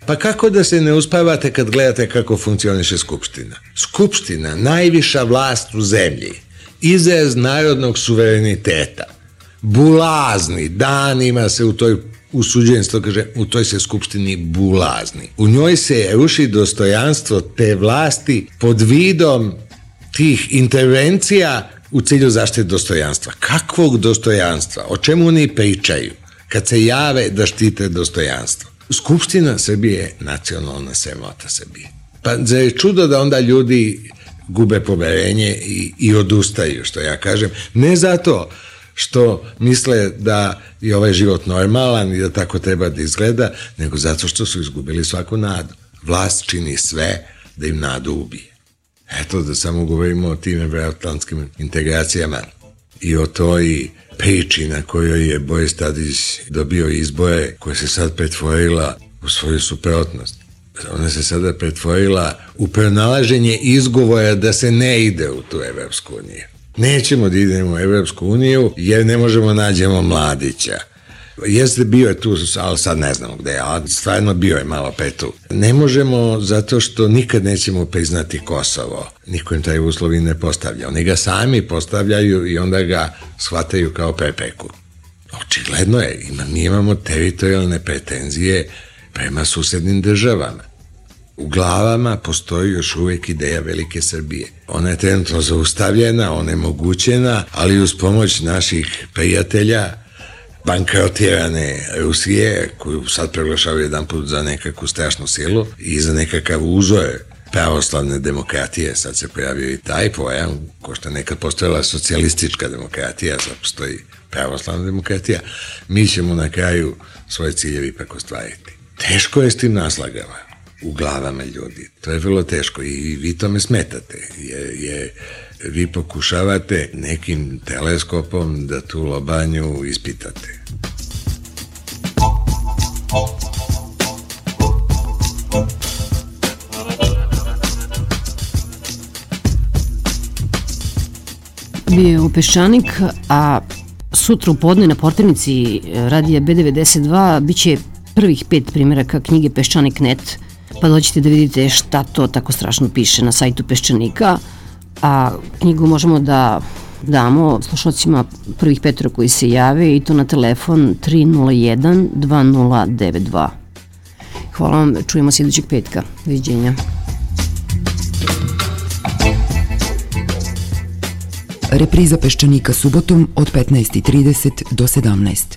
Pa kako da se ne uspavate kad gledate kako funkcioniše Skupština? Skupština, najviša vlast u zemlji, izraz narodnog suvereniteta, bulazni, danima se u toj, usuđenstvo kaže, u toj se Skupštini bulazni. U njoj se ruši dostojanstvo te vlasti pod vidom tih intervencija u cilju zaštite dostojanstva. Kakvog dostojanstva? O čemu oni pričaju kad se jave da štite dostojanstvo? Skupština Srbije je nacionalna sramota Srbije. Pa zar je čudo da onda ljudi gube poverenje i, i odustaju, što ja kažem, ne zato što misle da je ovaj život normalan i da tako treba da izgleda, nego zato što su izgubili svaku nadu. Vlast čini sve da im nadu ubije. Eto, da samo govorimo o tim evroatlantskim integracijama i o toj priči na kojoj je Boris Tadić dobio izbore, koja se sad pretvorila u svoju suprotnost. Ona se sada pretvorila u pronalaženje izgovora da se ne ide u tu Evropsku uniju. Nećemo da idemo u Evropsku uniju jer ne možemo nađemo Mladića. Jeste bio je tu, ali sad ne znamo gde je, ali stvarno bio je malo petu. Ne možemo zato što nikad nećemo priznati Kosovo. Niko im taj uslov i ne postavlja. Oni ga sami postavljaju i onda ga shvataju kao prepreku. Očigledno je, ima, mi imamo teritorijalne pretenzije prema susednim državama. U glavama postoji još uvijek ideja Velike Srbije. Ona je trenutno zaustavljena, onemogućena, ali uz pomoć naših prijatelja, bankrotirane Rusije, koju sad proglašavaju jedan put za nekakvu strašnu silu i za nekakav uzor pravoslavne demokratije, sad se pojavio i taj pojam, ko što je nekad postojala socijalistička demokratija, sad postoji pravoslavna demokratija, mi ćemo na kraju svoje ciljevi ipak ostvariti. Teško je s tim naslagama u glavama ljudi, to je vrlo teško i vi tome smetate, jer je, vi pokušavate nekim teleskopom da tu lobanju ispitate. Bio je u Peščanik, a sutra u podne na portirnici radija be devedeset dva bit će prvih pet primjeraka knjige Peščanik tačka net, pa dođite da vidite šta to tako strašno piše na sajtu Peščanika, a knjigu možemo da damo slušalcima prvih petora koji se jave i to na telefon tri nula jedan dva nula devet dva. Hvala vam, čujemo se idućeg petka. Doviđenja. Repriza Peščanika subotom od petnaest i trideset do sedamnaest.